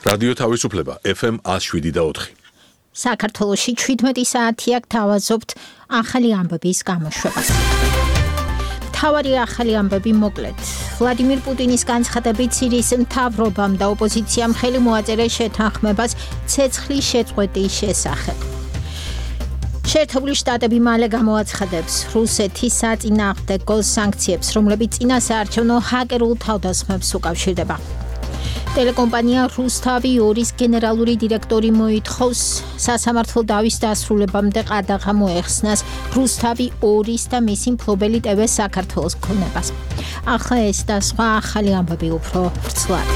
რადიო თავისუფლება FM 107.4. საქართველოში 17 საათია გთავაზობთ ახალი ამბების გამოშვებას. თავარი ახალი ამბები მოკლედ. ვლადიმირ პუტინის განცხადებით სირიის მთავრობამ და ოპოზიციამ ხელი მოაწერა შეთანხმებას ცეცხლის შეწყვეტის შესახებ. შეერთებული შტატები მალე გამოაცხადებს რუსეთის საწინააღმდეგო სანქციებს, რომლებიც წინასაარჩევნო ჰაკერულ თავდასხმებს უკავშირდება. ტელეკომპანია რუსთავი 2-ის გენერალური დირექტორი მოითხოვს სასამართლო დავის დასრულებამდე ყადაღა მოეხსნას რუსთავი 2-ის და მისი მფლობელი TV საქართველოს ქონებას. ახლა ეს და სხვა ახალი ამბები უფრო ვრცლად.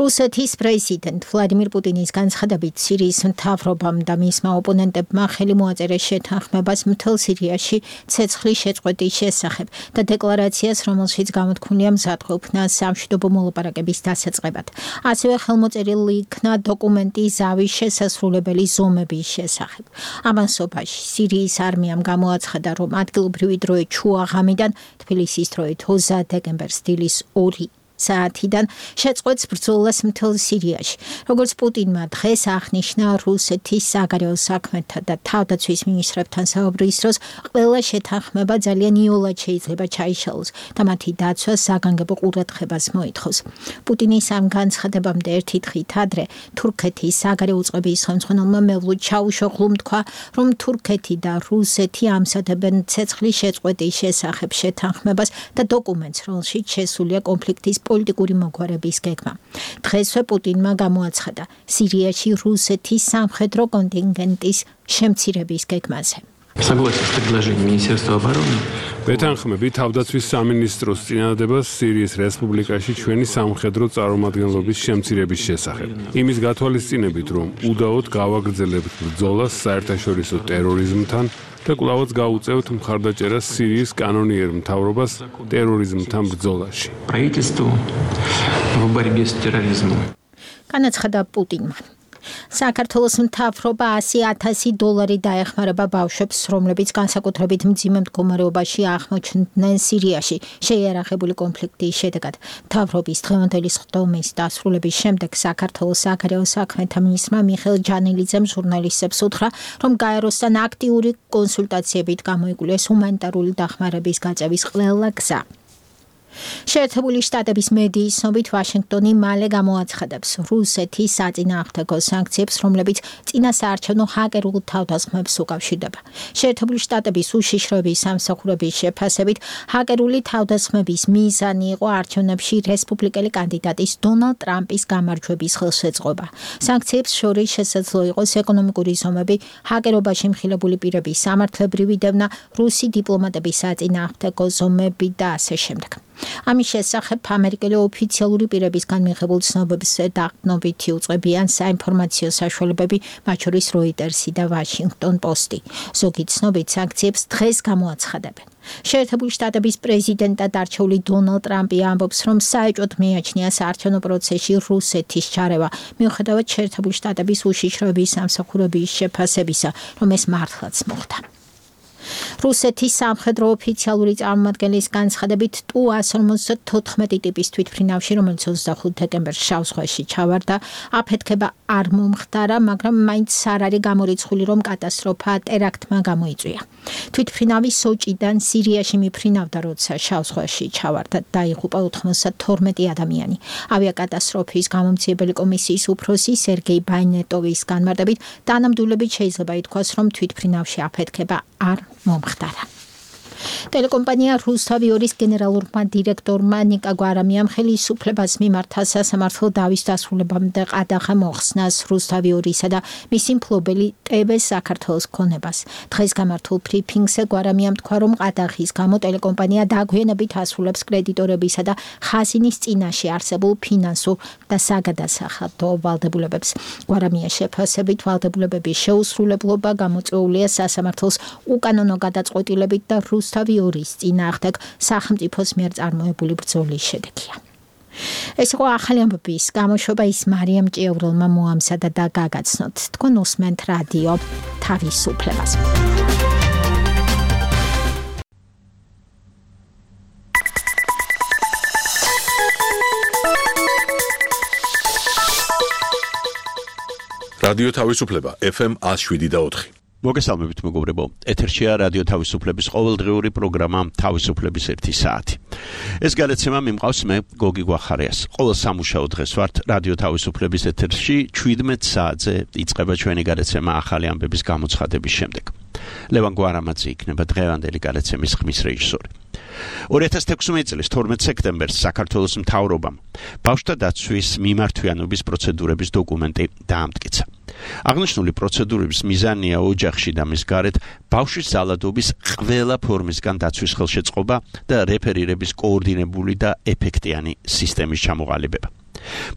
რუსეთის პრეზიდენტ ვლადიმირ პუტინის განცხადებით სირიის მთავრობამ და მისმა ოპონენტებმა ხელი მოაწერა შეთანხმებას მთელ სირიაში ცეცხლის შეწყვეტის შესახებ და დეკლარაციას, რომელშიც გამოთქმულია მზადყოფნა სამშვიდობო მოლაპარაკების დასაწყებად. ასევე ხელმოწერილი იქნა დოკუმენტი ზავის შესასრულებელი ზომების შესახებ. ამასობაში სირიის არმიამ გამოაცხადა, რომ ადგილობრივი დროით შუა ღამიდან თბილისის დროით 20 დეკემბერს დილის 2 საათიდან შეწყვეტს ბრძოლას მთელ სირიაში. როგორც პუტინმა დღეს აღნიშნა რუსეთის საგარეო საქმეთა და თავდაცვის მინისტრებთან საუბრის დროს, ყველა შეთანხმება ძალიან იოლად შეიძლება ჩაიშალოს და მათი დაცვა საგანგებო ყურადღებას მოითხოვს. პუტინის ამ განცხადებამდე ერთი დღით ადრე თურქეთის საგარეო უწყების ხელმძღვანელმა მევლუდ ჩაუშოღლუმ თქვა, რომ თურქეთი და რუსეთი ამზადებენ ცეცხლის შეწყვეტის შესახებ შეთანხმებას და დოკუმენტს, რომელშიც შესულია კონფლიქტის პოლიტიკური მოგვარების გეგმა. დღესვე პუტინმა გამოაცხადა სირიაში რუსეთის სამხედრო კონტინგენტის შემცირების გეგმაზე. ვეთანხმები თავდაცვის სამინისტროს წინადადებას სირიის რესპუბლიკაში ჩვენი სამხედრო წარმომადგენლობის შემცირების შესახებ. იმის გათვალისწინებით, რომ უდაოდ გავაგრძელებთ ბრძოლას საერთაშორისო ტერორიზმთან და კვლავაც გაუწევთ მხარდაჭერას სირიის კანონიერ მთავრობას ტერორიზმთან ბრძოლაში. განაცხადა პუტინმა. საქართველოს მთავრობა $100,000 დაეხმარება ბავშვებს, რომლებიც განსაკუთრებით მძიმე მდგომარეობაში აღმოჩნდნენ სირიაში შეიარაღებული კონფლიქტის შედეგად. მთავრობის დღევანდელი სხდომის დასრულების შემდეგ საქართველოს საგარეო საქმეთა მინისტრმა მიხეილ ჯანელიძემ ჟურნალისტებს უთხრა, რომ გაეროსთან აქტიური კონსულტაციებით გამოიკვლიეს ჰუმანიტარული დახმარების გაწევის ყველა გზა. შეერთებული შტატების მედიის ცნობით ვაშინგტონი მალე გამოაცხადებს რუსეთის საწინააღმდეგო სანქციებს, რომლებიც წინასაარჩევნო ჰაკერულ თავდასხმებს უკავშირდება. შეერთებული შტატების უშიშროების სამსახურების შეფასებით ჰაკერული თავდასხმების მიზანი იყო არჩევნებში რესპუბლიკელი კანდიდატის დონალდ ტრამპის გამარჯვების ხელშეწყობა. სანქციებს შორის შესაძლო იყოს ეკონომიკური ზომები, ჰაკერობაში მხილებული პირების სამართლებრივი დევნა, რუსი დიპლომატების საწინააღმდეგო ზომები და ასე შემდეგ. ამის შესახებ ამერიკელი ოფიციალური პირებისგან მიღებულ ცნობებს დაყრდნობითი უწყებიან საინფორმაციო საშუალებები, მათ შორის როიტერსი და ვაშინგტონ პოსტი. ზოგი ცნობით სანქციებს დღეს გამოაცხადებენ. შეერთებული შტატების პრეზიდენტად არჩეული დონალდ ტრამპი ამბობს, რომ საეჭვოდ მიაჩნია საარჩევნო პროცესში რუსეთის ჩარევა, მიუხედავად შეერთებული შტატების უშიშროების სამსახურების შეფასებისა, რომ ეს მართლაც მოხდა. რუსეთის სამხედრო ოფიციალური წარმომადგენლის განცხადებით Tu-154 ტიპის თვითმფრინავში, რომელიც 25 დეკემბერს შავ ზღვაში ჩავარდა, აფეთქება არ მომხდარა, მაგრამ მაინც არ არის გამორიცხული, რომ კატასტროფა ტერაქტმა გამოიწვია. თვითმფრინავი სოჭიდან სირიაში მიფრინავდა, როცა შავ ზღვაში ჩავარდა, დაიღუპა 92 ადამიანი. ავიაკატასტროფის გამომცემელი კომისიის უფროსი სერგეი ბაინეტოვის განმარტებით, თანამდებობით შეიძლება ითქვას, რომ თვითმფრინავში აფეთქება არ მომხდარა. ტელეკომპანია რუსთავი 2-ის გენერალურმა დირექტორმა ნიკა გვარამიამ ხელისუფლებას მიმართა სასამართლო დავის დასრულებამდე ყადაღა მოხსნას რუსთავი 2-ისა და მისი მფლობელი TV საქართველოს ქონებას. დღეს გამართულ ბრიფინგზე გვარამიამ თქვა, რომ ყადაღის გამო ტელეკომპანია დაგვიანებით ასრულებს კრედიტორებისა და ხაზინის წინაშე არსებულ ფინანსურ და საგადასახადო ვალდებულებებს. გვარამიას შეფასებით ვალდებულებების შეუსრულებლობა გამოწვეულია სასამართლოს უკანონო გადაწყვეტილებით და რუსთავი 2-ის წინააღმდეგ სახელმწიფოს მიერ წარმოებული ბრძოლის შედეგია. ეს იყო ახალი ამბების გამოშვება, ის მარიამ ჭიაურელმა მოამზადა და გაგაცნოთ. თქვენ უსმენთ რადიო თავისუფლებას. რადიო თავისუფლება FM 107.4. მოგესალმებით მეგობრებო, ეთერშია რადიო თავისუფლების ყოველდღიური პროგრამა თავისუფლების 1 საათი. ეს გადაცემა მიმყავს მე გოგი გვახარიას. ყოველ სამუშაო დღეს ვართ რადიო თავისუფლების ეთერში 17 საათზე იწყება ჩვენი გადაცემა ახალი ამბების გამოცხადების შემდეგ. ლევან გვარამაძე იქნება დღევანდელი გადაცემის ხმის რეჟისორი. 2016 წლის 12 სექტემბერს საქართველოს მთავრობამ ბავშვთა დაცვის მიმართვიანობის პროცედურების დოკუმენტი დაამტკიცა. აღნიშნული პროცედურების მიზანია ოჯახში და მის გარეთ ბავშვის ზალადობის ყველა ფორმისგან დაცვის ხელშეწყობა და რეფერირების კოორდინებული და ეფექტიანი სისტემის ჩამოყალიბება.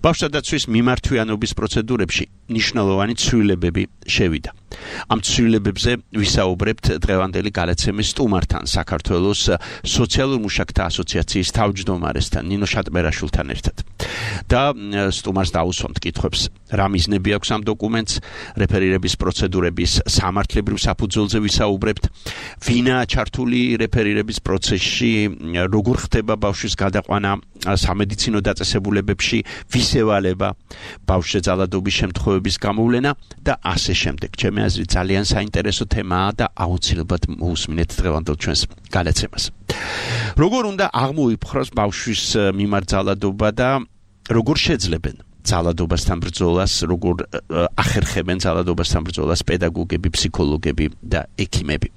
ბავშვთა დაცვის მიმართვიანობის პროცედურებში მნიშვნელოვანი ცვლილებები შევიდა. ამ ცვლილებებზე ვისაუბრებთ დღევანდელი გადაცემის სტუმართან, საქართველოს სოციალურ მუშაკთა ასოციაციის თავმჯდომარესთან, ნინო შატბერაშვილთან ერთად. და სტუმარს დაუსვამთ კითხვებს, რა მიზნები აქვს ამ დოკუმენტს, რეფერირების პროცედურების სამართლებრივ საფუძველზე ვისაუბრებთ, ვინაა ჩართული რეფერირების პროცესში, როგორ ხდება ბავშვის გადაყვანა სამედიცინო დაწესებულებებში, ვის ევალება ბავშვზე ზალადობის შემთხვევების გამოვლენა და ასე შემდეგ. ჩემი აზრით ძალიან საინტერესო თემაა და აუცილებლად მოусმინეთ დღევანდელ ჩვენს გადაცემას. როგორ უნდა აღმოიფხვრას ბავშვის მიმართ ზალადობა და როგორ შეძლებენ ზალადობასთან ბრძოლას, როგორ ახერხებენ ზალადობასთან ბრძოლას პედაგოგები, ფსიქოლოგები და ექიმები.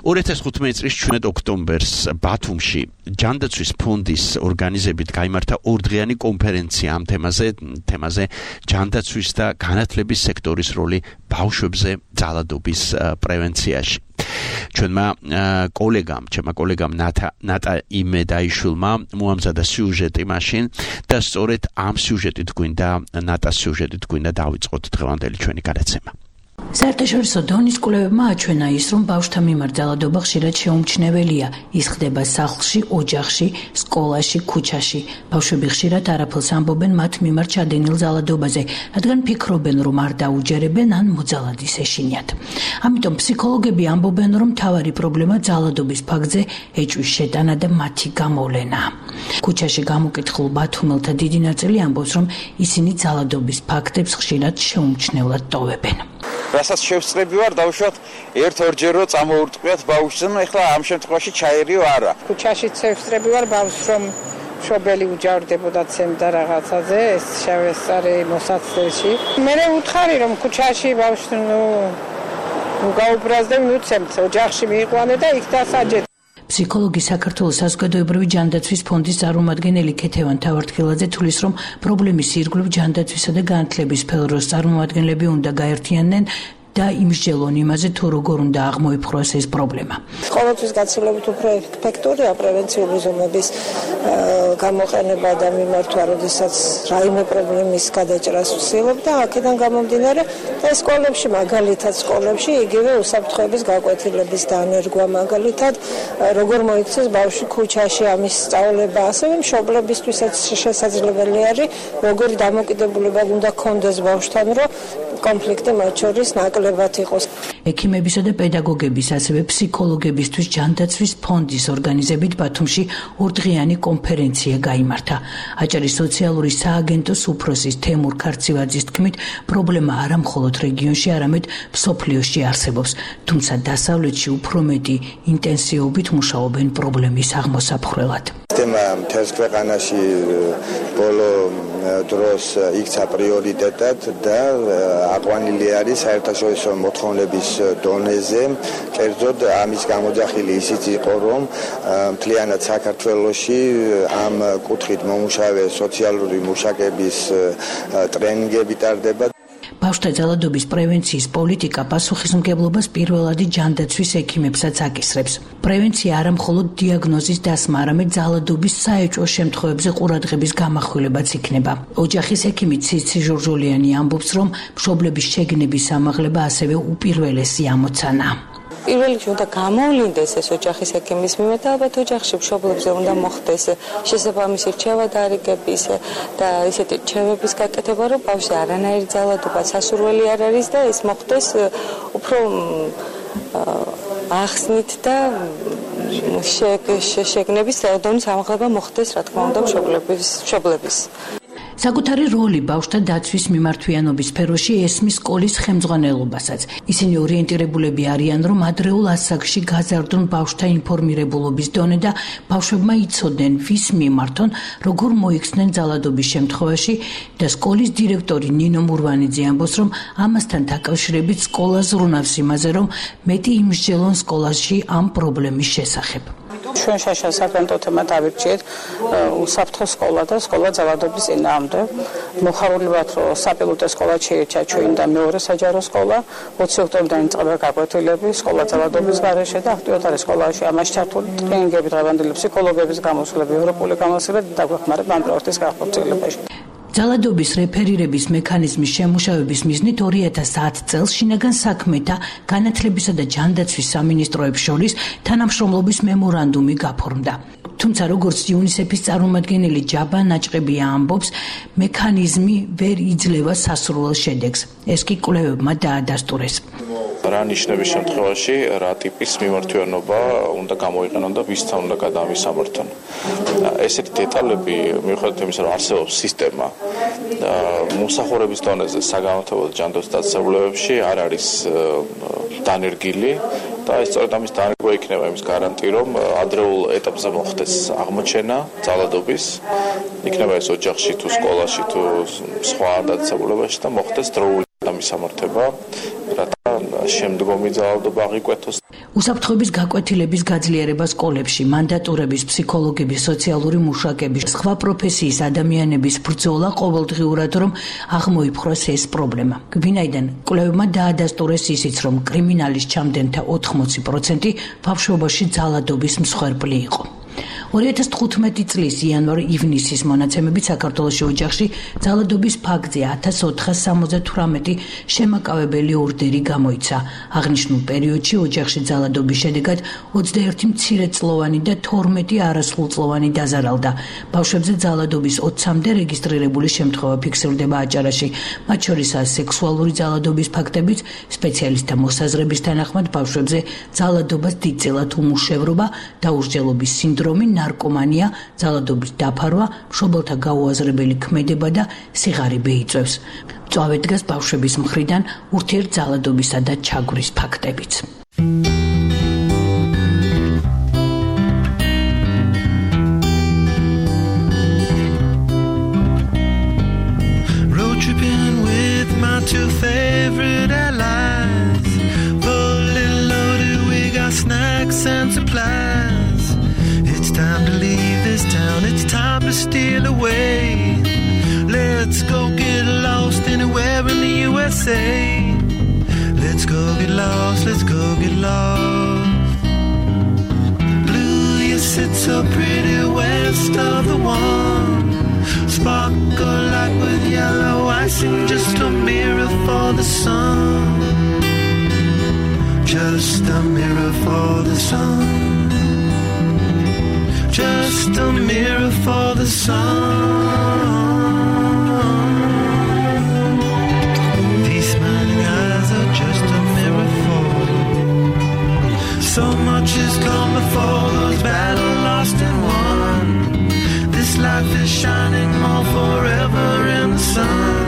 2015 წლის 17 ოქტომბერს ბათუმში ჯანდაცვის ფონდის ორგანიზებით გაიმართა ორდღიანი კონფერენცია ამ თემაზე ჯანდაცვის და განათლების სექტორის როლი ბავშვებზე ზალადობის პრევენციაში. ჩვენმა კოლეგამ ნატა იმედაიშვილმა მოამზადა სიუჟეტი მაშინ და სწორედ ამ სიუჟეტით გვინდა ნატას სიუჟეტით გვინდა დავიწყოთ დღევანდელი ჩვენი გადაცემა. საერთაშორისო დონის კვლევებმა აჩვენა ის, რომ ბავშვთა მიმართ ზალადობა ხშირად შეუმჩნეველია. ის ხდება სახლში, ოჯახში, სკოლაში, ქუჩაში. ბავშვები ხშირად არაფერს ამბობენ მათ მიმართ ჩადენილ ზალადობაზე, რადგან ფიქრობენ, რომ არ დაუჯერებენ ან მოძალადის ეშინიათ. ამიტომ ფსიქოლოგები ამბობენ, რომ მთავარი პრობლემა ზალადობის ფაქტზე ეჭვის შეტანა და მათი გამოვლენა. ქუჩაში გამოკითხულ ბათუმელთა დიდი ნაწილი ამბობს, რომ ისინი ზალადობის ფაქტებს ხშირად შეუმჩნევლად ტოვებენ. რასაც შევსწრები ვარ დავუშვათ ერთ-ორჯერო წამოურტყვიათ ბავშვს, ეხლა ამ შემთხვევაში ჩაერიო არა. ქუჩაში შევსწრები ვარ ბავშვს, რომ მშობელი უჯავრდებოდა ცემდა რაღაცაზე, ეს შევესწარი მოსაცდელში. მე ვუთხარი, რომ ქუჩაში ბავშვს გაუბრაზდე, მივცემთ ოჯახში მიიყვანე და იქ დასაჯეთ. ფსიქოლოგი საქართველოს საზოგადოებრივი ჯანდაცვის ფონდის წარმომადგენელი ქეთევან თავართხილაძე თვლის, რომ პრობლემის ირგვლივ ჯანდაცვისა და განათლების სფეროს წარმომადგენლები უნდა გაერთიანდნენ და იმსჯელონ იმაზე, თუ როგორ უნდა აღმოიფხვრას ეს პრობლემა. ყოველთვის გაცილებით უფრო ეფექტურია პრევენციული ზომების გამოყენება და მიმართვა, როდესაც რაიმე პრობლემის გადაჭრას ვცდილობ და აქედან გამომდინარე და სკოლებში, მაგალითად სკოლებში იგივე უსაფრთხოების გაკვეთილების დანერგვა, მაგალითად როგორ მოიქცეს ბავშვი ქუჩაში ამის სწავლება, ასევე მშობლებისთვისაც შესაძლებელი არის, როგორ დამოკიდებულება უნდა ქონდეს ბავშვთან, რომ კონფლიქტი მათ შორის ნაკლებად იყოს. ექიმებისა და პედაგოგების, ასევე ფსიქოლოგებისთვის ჯანდაცვის ფონდის ორგანიზებით ბათუმში ორდღიანი კონფერენცია გაიმართა. აჭარის სოციალური სააგენტოს უფროსის თემურ ქარცივაძის თქმით, პრობლემა არა მხოლოდ რეგიონში, არამედ მსოფლიოში არსებობს, თუმცა დასავლეთში უფრო მეტი ინტენსივობით მუშაობენ პრობლემის აღმოსაფხვრელად. თემა მთელს ქვეყანაში ბოლო დროს იქცა პრიორიტეტად და აყვანილი არის საერთაშორისო მოთხოვნების დონეზე. კერძოდ ამის გამოძახილი ისიც იყო, რომ მთლიანად საქართველოში ამ კუთხით მომუშავე სოციალური მუშაკების ტრენინგები ტარდება. ბავშვთა ზალადობის პრევენციის პოლიტიკა პასუხისმგებლობას პირველადი ჯანდაცვის ექიმებსაც აკისრებს. პრევენცია არა მხოლოდ დიაგნოზის დასმა, არამედ ზალადობის საეჭვო შემთხვევებზე ყურადღების გამახვილებაც იქნება. ოჯახის ექიმი ციცი ჟორჟოლიანი ამბობს, რომ მშობლების შეგნების ამაღლება ასევე უპირველესი ამოცანა. პირველ რიგში უნდა გამოვლინდეს ეს ოჯახის ექიმის მიმართ და ალბათ ოჯახში მშობლებზე უნდა მოხდეს შესაბამისი რჩევა დარიგების და ისეთი რჩევების გაკეთება, რომ ბავშვი არანაირი ზალადობა სასურველი არ არის და ეს მოხდეს უფრო ახსნით და შეგნების დონის ამაღლება მოხდეს, რა თქმა უნდა, მშობლების. საკუთარი როლი ბავშვთა დაცვის მიმართვიანობის სფეროში ესმის სკოლის ხელმძღვანელობასაც. ისინი ორიენტირებულები არიან, რომ ადრეულ ასაკში გაზარდონ ბავშვთა ინფორმირებულობის დონე და ბავშვებმა იცოდნენ, ვის მიმართონ, როგორ მოიქცნენ ძალადობის შემთხვევაში და სკოლის დირექტორი ნინო მურვანიძე ამბობს, რომ ამასთან დაკავშირებით სკოლა ზრუნავს იმაზე, რომ მეტი იმსჯელონ სკოლაში ამ პრობლემის შესახებ. ჩვენ შაშა საფრთხეთმა დავირჩიეთ უსაფრთხო სკოლა და სკოლა ძალადობის წინააღმდეგ. მოხარულებად რომ საპილოტო სკოლა შეირჩა ჩვენ და მეორე საჯარო სკოლა 20 ოქტომბრიდან იწყება გაკვეთილები სკოლა ძალადობის გარეშე და აქტიურად არის სკოლაში ამაში ჩართული ტრენინგები, დღევანდელი ფსიქოლოგების გამოსვლები, ევროპული გამოსვლები და დაგვეხმარება ამ პროექტის გახორციელებაში. ძალადობის რეფერირების მექანიზმის შემუშავების მიზნით 2010 წელს შინაგან საქმეთა, განათლებისა და ჯანდაცვის სამინისტროებს შორის თანამშრომლობის მემორანდუმი გაფორმდა. თუმცა როგორც იუნისეფის წარმომადგენელი ჯაბა ნაჭყებია ამბობს, მექანიზმი ვერ იძლევა სასურველ შედეგს. ეს კი კვლევებმა დაადასტურეს. რა ნიშნების შემთხვევაში რა ტიპის მიმართვიანობა უნდა გამოიყენონ და ვისთან უნდა გადაამისამართონ. ესეთი დეტალები მიუხედავად იმისა, რომ არსებობს სისტემა მომსახურების დონეზე საგანმანათლებლო ჯანდაცვის დაწესებულებებში არ არის დანერგილი და ეს სწორედ ამის დანერგვა იქნება იმის გარანტი, რომ ადრეულ ეტაპზე მოხდეს აღმოჩენა ძალადობის, იქნება ეს ოჯახში თუ სკოლაში თუ სხვა დაწესებულებაში და მოხდეს დროული დამისამართება, რათა შემდგომი ძალადობა აღიკვეთოს. უსაფრთხოების გაკვეთილების გაძლიერება სკოლებში, მანდატურების, ფსიქოლოგების, სოციალური მუშაკების, სხვა პროფესიის ადამიანების ბრძოლა ყოველდღიურად რომ აღმოიფხვრას ეს პრობლემა. ვინაიდან კვლევებმა დაადასტურეს ისიც, რომ კრიმინალის ჩამდენთა 80% ბავშვობაში ძალადობის მსხვერპლი იყო. 2015 წლის იანვარ-ივნისის მონაცემებით საქართველოში ოჯახში ძალადობის ფაქტზე 1478 შემაკავებელი ორდერი გამოიცა. აღნიშნულ პერიოდში ოჯახში ძალადობის შედეგად 21 მცირეწლოვანი და 12 არასრულწლოვანი დაზარალდა. ბავშვებზე ძალადობის 20-მდე რეგისტრირებული შემთხვევა ფიქსირდება აჭარაში, მათ შორისაა სექსუალური ძალადობის ფაქტებიც, სპეციალისტთა მოსაზრების თანახმად ბავშვებზე ძალადობას დიდწილად უმუშევრობა, დაუსჯელობის სინდრომი, ნარკომანია, ძალადობის დაფარვა, მშობელთა გაუაზრებელი ქმედება და სიღარიბე იწვევს. მწვავე დგას ბავშვების მხრიდან ურთიერთძალადობისა და ჩაგვრის ფაქტებიც. Road tripping with my two favorite allies. Fully loaded, we got snacks and supplies. It's time to leave this town, it's time to steal away. Let's go get lost anywhere in the USA. Let's go get lost, let's go get lost. Blue, you sit so pretty west of the one. Sparkle like with yellow icing, just a mirror for the sun. Just a mirror for the sun. Just a mirror for the sun. These smiling eyes are just a mirror for. So much has come before, those battles lost and won. This life is shining more forever in the sun.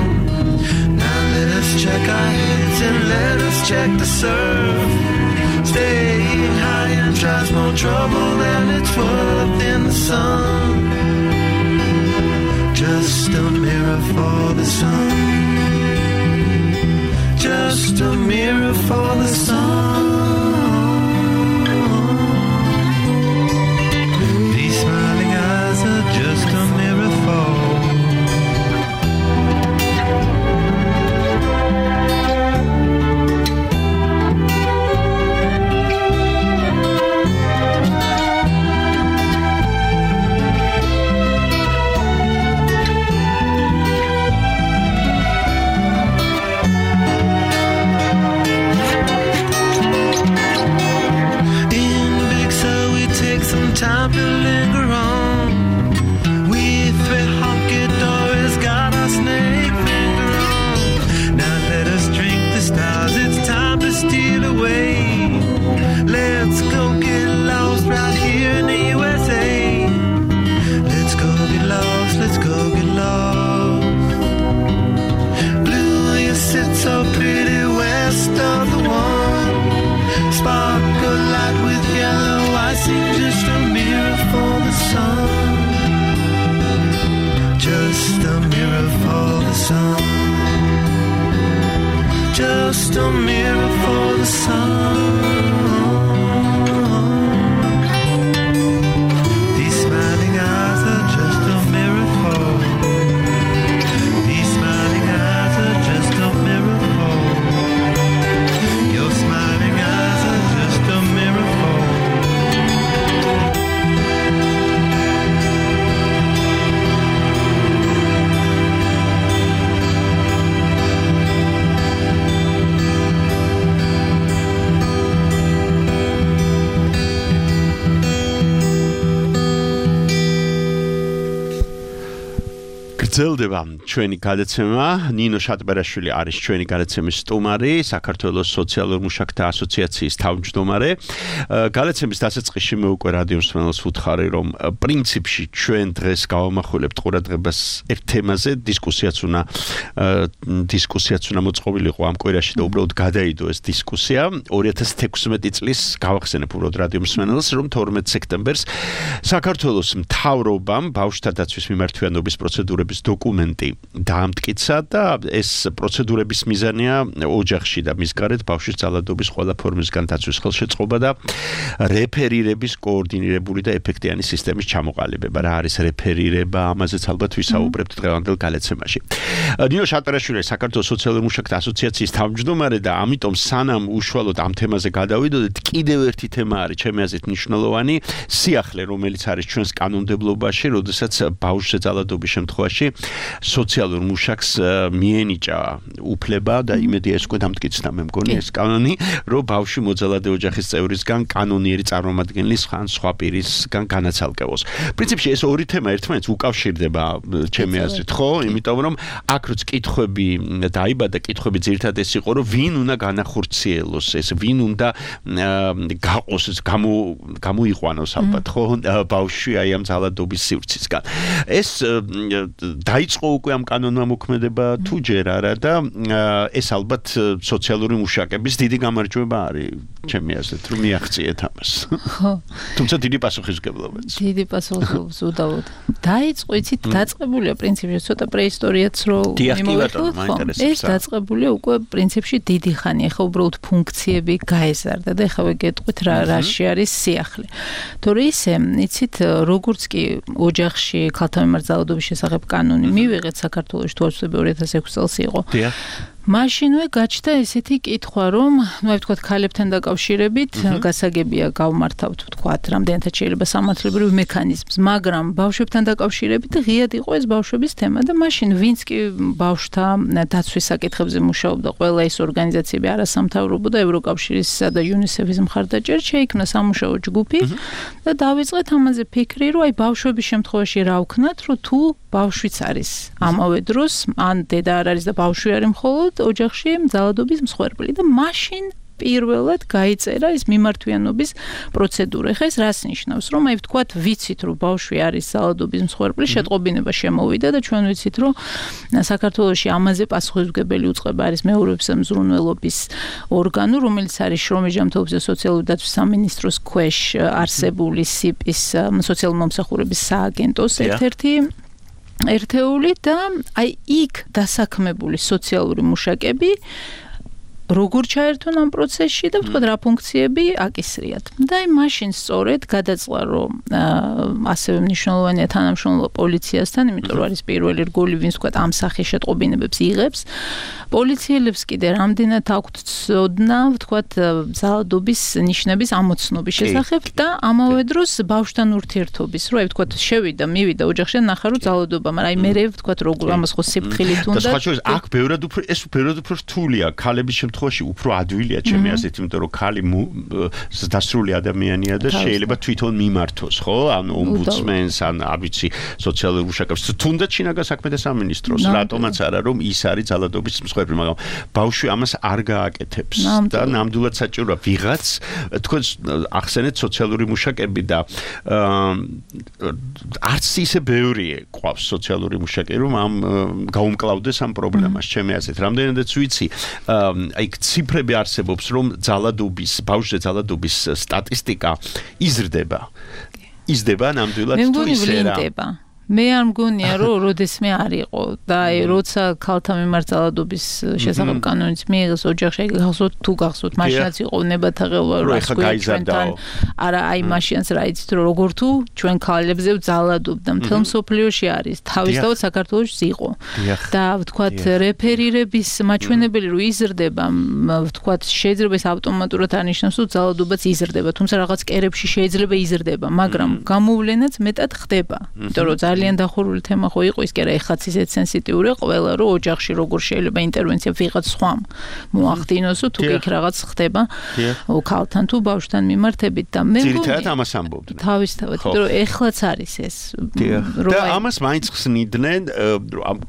Now let us check our heads and let us check the surf. Staying high and tries more trouble than it's worth in the sun. Just a mirror for the sun. Just a mirror for the sun. These smiling eyes are just a mirror for. Time to linger on. We three honky doors got our snake finger on. Now let us drink the stars, it's time to steal away. Let's go get lost right here in the USA. Let's go get lost, let's go get lost. sun. Just a mirror for the sun. These smiling eyes are just a mirror for. These smiling eyes are just a mirror for. Your smiling eyes are just a mirror for. გრძელდება ჩვენი გადაცემა. ნინო შატბერაშვილი არის ჩვენი გადაცემის სტუმარი, საქართველოს სოციალურ მუშაკთა ასოციაციის თავმჯდომარე. გადაცემის დასაწყისში მე უკვე რადიო მსმენელს ვუთხარი, რომ პრინციპში ჩვენ დღეს გავამახვილებთ ყურადღებას ერთ თემაზე, დისკუსიაც უნდა მოწყობილიყო ამ კვირაში და უბრალოდ გადაიდო ეს დისკუსია. 2016 წლის გავახსენებ უბრალოდ რადიო მსმენელს, რომ 12 სექტემბერს საქართველოს მთავრობამ ბავშვთა დაცვის მიმართვიანობის პროცედურების დოკუმენტი დაამტკიცა და ეს პროცედურების მიზანია ოჯახში და მის გარეთ ბავშვის ძალადობის ყველა ფორმისგან დაცვის ხელშეწყობა და რეფერირების კოორდინირებული და ეფექტიანი სისტემის ჩამოყალიბება. რა არის რეფერირება? ამაზეც ალბათ ვისაუბრებთ დღევანდელ გადაცემაში. ნინო შატბერაშვილი საქართველოს სოციალურ მუშაკთა ასოციაციის თავმჯდომარე და ამიტომ სანამ უშუალოდ ამ თემაზე გადავიდოდეთ, კიდევ ერთი თემა არის ჩემი აზრით მნიშვნელოვანი, სიახლე, რომელიც არის ჩვენს კანონმდებლობაში, როდესაც ბავშვზე ძალადობის შემთხვევაში სოციალურ მუშაკს მიენიჭა უფლება და იმედია ეს უკვე დამტკიცდა მე მგონი ეს კანონი, რომ ბავშვი მოძალადე ოჯახის წევრისგან კანონიერი წარმომადგენლის ან სხვა პირისგან განაცალკევოს. პრინციპში ეს ორი თემა ერთმანეთს უკავშირდება ჩემი აზრით, ხო? იმიტომ რომ აქ როც კითხვები დაიბადა, კითხვები ძირითადად ეს იყო, რომ ვინ უნდა განახორციელოს ეს, ვინ უნდა გაყოს, გამოიყვანოს ალბათ, ხო? ბავშვი აი ამ ძალადობის სივრცისგან. ეს დაიწყო უკვე ამ კანონმა მოქმედება თუ ჯერ არა და ეს ალბათ სოციალური მუშაკების დიდი გამარჯვება არის ჩემი აზრით, რომ მიაღწიეთ ამას. ხო. თუმცა დიდი პასუხისმგებლობაც. დიდი პასუხისმგებლობაც უდავოდ. დაიწყო, იცით, დაწყებულია პრინციპში ცოტა პრეისტორიაც რო მიმოვიხილოთ, ეს დაწყებულია უკვე პრინციპში დიდი ხანი, ახლა უბრალოდ ფუნქციები გაეზარდა და ახლა ვეგეტყვით რაში არის სიახლე. თორე ისე, იცით, როგორც კი ოჯახში ქალთა მიმართ ძალადობის შესახებ კანონი მივიღეთ საქართველოში თუ არ ვცდები 2006 წელს იყო. მაშინვე გაჩნდა ესეთი კითხვა, რომ ნუ აი ვთქვათ ქალებთან დაკავშირებით გასაგებია გავმართავთ ვთქვათ რამდენადაც შეიძლება სამართლებრივ მექანიზმს, მაგრამ ბავშვებთან დაკავშირებით ღიად იყო ეს ბავშვების თემა და მაშინ ვინც კი ბავშვთა დაცვის საკითხებზე მუშაობდა, ყველა ეს ორგანიზაციები არასამთავრობო და ევროკავშირისა და იუნისეფის მხარდაჭერით შეიქმნა სამუშაო ჯგუფი და დავიწყეთ ამაზე ფიქრი, რომ აი ბავშვების შემთხვევაში რა ვქნათ, რომ თუ ბავშვიც არის ამავე დროს, ან დედა არ არის და ბავშვი არის მხოლოდ ოჯახში ძალადობის მსხვერპლი და მაშინ პირველად გაიწერა ეს მიმართვიანობის პროცედურა. ხა ეს რას ნიშნავს, რომ აი ვთქვათ ვიცით, რომ ბავშვი არის ძალადობის მსხვერპლი, შეტყობინება შემოვიდა და ჩვენ ვიცით, რომ საქართველოში ამაზე პასუხისმგებელი უწყება არის მეურვეობისა მზრუნველობის ორგანო, რომელიც არის შრომის ჯანმრთელობის და სოციალური დაცვის სამინისტროს ქვეშ არსებული სიპის სოციალური მომსახურების სააგენტოს ერთ-ერთი ერთეული და აი იქ დასაქმებული სოციალური მუშაკები როგორ ჩაერთონ ამ პროცესში და ვთქვათ რა ფუნქციები აკისრიათ. და აი მაშინ სწორედ გადაწყდა რომ ასევე მნიშვნელოვანია თანამშრომლობა პოლიციასთან, იმიტომ რომ არის პირველი რგოლი, ვინც ვთქვათ ამ სახის შეტყობინებებს იღებს. პოლიციელებს კიდე რამდენად აქვთ ცოდნა, ვთქვათ ძალადობის ნიშნების ამოცნობის შესახებ და ამავე დროს ბავშვთან ურთიერთობის, რომ აი ვთქვათ შევიდა, მივიდა ოჯახში და ნახა რომ ძალადობა, მაგრამ აი მე ვთქვათ როგორ ამას ხო სიფრთხილით უნდა. და სხვა შორის აქ ბევრად უფრო რთულია ქალების შემთხვევაში უფრო ადვილია ჩემი აზრით, იმიტომ რომ ქალი დასრული ადამიანია და შეიძლება თვითონ მიმართოს, ხო? ან ომბუდსმენს, ან არ ვიცი, სოციალურ მუშაკებს, თუნდაც შინაგან საქმეთა სამინისტროს, რატომაც არა, რომ ის არის ძალადობის მსხვერპლი, მაგრამ ბავშვი ამას არ გააკეთებს და ნამდვილად საჭიროა ვიღაც, თქვენ ახსენეთ სოციალური მუშაკები და არც ისე ბევრი ყავს სოციალური მუშაკი, რომ ამ გაუმკლავდეს ამ პრობლემას, ჩემი აზრით. რამდენადაც ვიცი, აი ციფრები არსებობს, რომ ძალადობის, ბავშვზე ძალადობის სტატისტიკა იზრდება. იზრდება ნამდვილად თუ ისე რა. მე არ მგონია რომ როდესმე არ იყო და როცა ქალთა მიმართ ძალადობის შესახებ კანონიც მიიღეს ოჯახში გახსოვთ თუ გახსოვთ მაშინაც იყო ნებათა ღელვა რომ ჩვენთან არა აი მაშინაც რა იცით რომ როგორ თუ ჩვენ ქალებზე ძალადობდა მთელ მსოფლიოში არის თავისთავად საქართველოშიც იყო და ვთქვათ რეფერირების მაჩვენებელი რომ იზრდება ვთქვათ შეიძლება ეს ავტომატურად არნიშნავს რომ ძალადობაც იზრდება თუმცა რაღაც კერებში შეიძლება იზრდება მაგრამ გამოვლენაც მეტად ხდება იმიტომ რომ ძალიან დახურული თემა ხო იყო ის კი არა ეხაც ისეთ სენსიტიური ყველა რომ ოჯახში როგორ შეიძლება ინტერვენცია ვიღაც სხვამ მოახდინოს თუ იქ რაღაც ხდება ქალთან თუ ბავშვთან მიმართებით და მე ძირითადად ამას ამბობდნენ თავისთავად რომ ეხლაც არის ეს და ამას მაინც ხსნიდნენ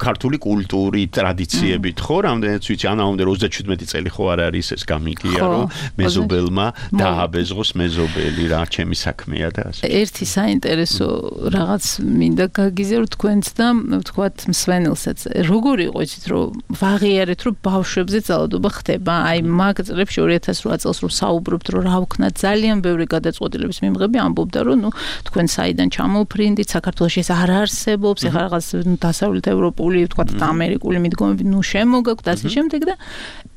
ქართული კულტური ტრადიციებით ხო რამდენიც ვიცი ანაუნდერ 37 წელი ხო არ არის ეს გამიგია რომ მეზობელმა დააბეზღოს მეზობელი რა ჩემი საქმეა და ასე ერთი საინტერესო რაღაც მინდა გაგიზიარო თქვენც და ვთქვათ მსვენელსაც როგორი იყო იცით რომ ვაღიარეთ რომ ბავშვებზე ძალადობა ხდება აი მაგ წლებში 2008 წელს რომ საუბრობთ რომ რა ვქნათ ძალიან ბევრი გადაწყვეტილების მიმღები ამბობდა რომ ნუ თქვენ საიდან ჩამოვფრინდით საქართველოში ეს არ არსებობს ეხლა რაღაც დასავლეთ ევროპული ვთქვათ ამერიკული მიდგომები ნუ შემოგაქვთ ასე შემდეგ და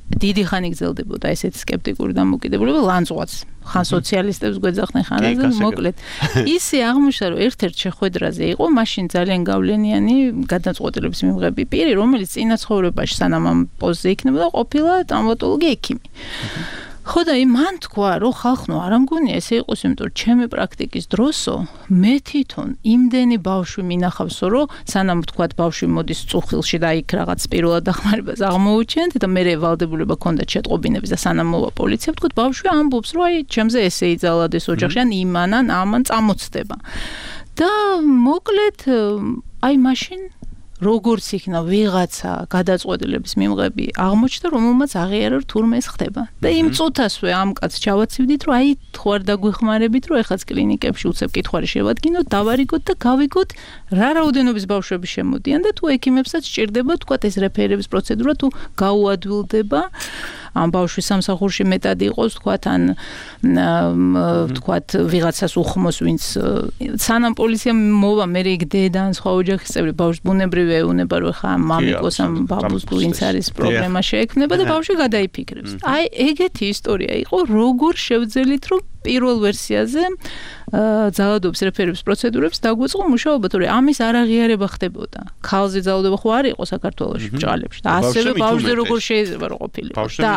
დიდი ხანი გრძელდებოდა ესეთი სკეპტიკური დამოკიდებულება ლანძღვაც ხან სოციალისტებს გვეძახდნენ ხან ასე მოკლედ ისე აღმოჩნდა რომ ერთ-ერთ შეხვედრაზე იყო მაშინ ძალიან გავლენიანი გადაწყვეტილების მიმღები პირი რომელიც წინა ცხოვრებაში სანამ ამ პოზზე იქნებოდა ყოფილა ტრაუმატოლოგი ექიმი ხო და მან თქვა რომ ხალხო არ ამგონია ესე იყოს იმიტომ რომ ჩემი პრაქტიკის დროსო მე თვითონ იმდენი ბავშვი მინახავსო რომ სანამ ვთქვათ ბავშვი მოდის წუხილში და იქ რაღაც პირველად დახმარებას აღმოუჩენთ და მე ვალდებულება ქონდა შეტყობინების და სანამ მოვა პოლიცია ვთქვათ ბავშვი ამბობს რომ აი ჩემზე ესე იძალადეს ოჯახში ან იმან ან ამან წამოწდება და მოკლედ აი მაშინ როგორც იქნა ვიღაცა გადაწყვეტილების მიმღები აღმოჩნდა რომელმაც აღიარა რომ თურმე ეს ხდება და იმ წუთასვე ამ კაცს ჩავაცივდით რომ აი თუ არ დაგვეხმარებით რომ ეხაც კლინიკებში უცებ კითხვარი შევადგინოთ დავარიგოთ და გავიგოთ რა რაოდენობის ბავშვები შემოდიან და თუ ექიმებსაც სჭირდება თქვა ეს რეფერირების პროცედურა თუ გაუადვილდება ამ ბავშვის სამსახურში მეტად იყოს თქვათ ან თქვათ ვიღაცას უხმოს ვინც სანამ პოლიციამ მოვა მე იქ დედა ან სხვა ოჯახის წევრი ბავშვს ბუნებრივია ეუნება რომ ხა მამიკოს ამ ბაბუს თუ ვინც არის პრობლემა შეექმნება და ბავშვი გადაიფიქრებს აი ეგეთი ისტორია იყო როგორ შევძელით რომ პირველ ვერსიაზე ძალადობის რეფერირების პროცედურებს დაგვეწყო მუშაობა თორე ამის არაღიარება ხდებოდა ქალზე ძალადობა ხო არ იყო საქართველოში ბჭალებში და ასევე ბავშვზე როგორ შეიძლება რომ ყოფილიყო და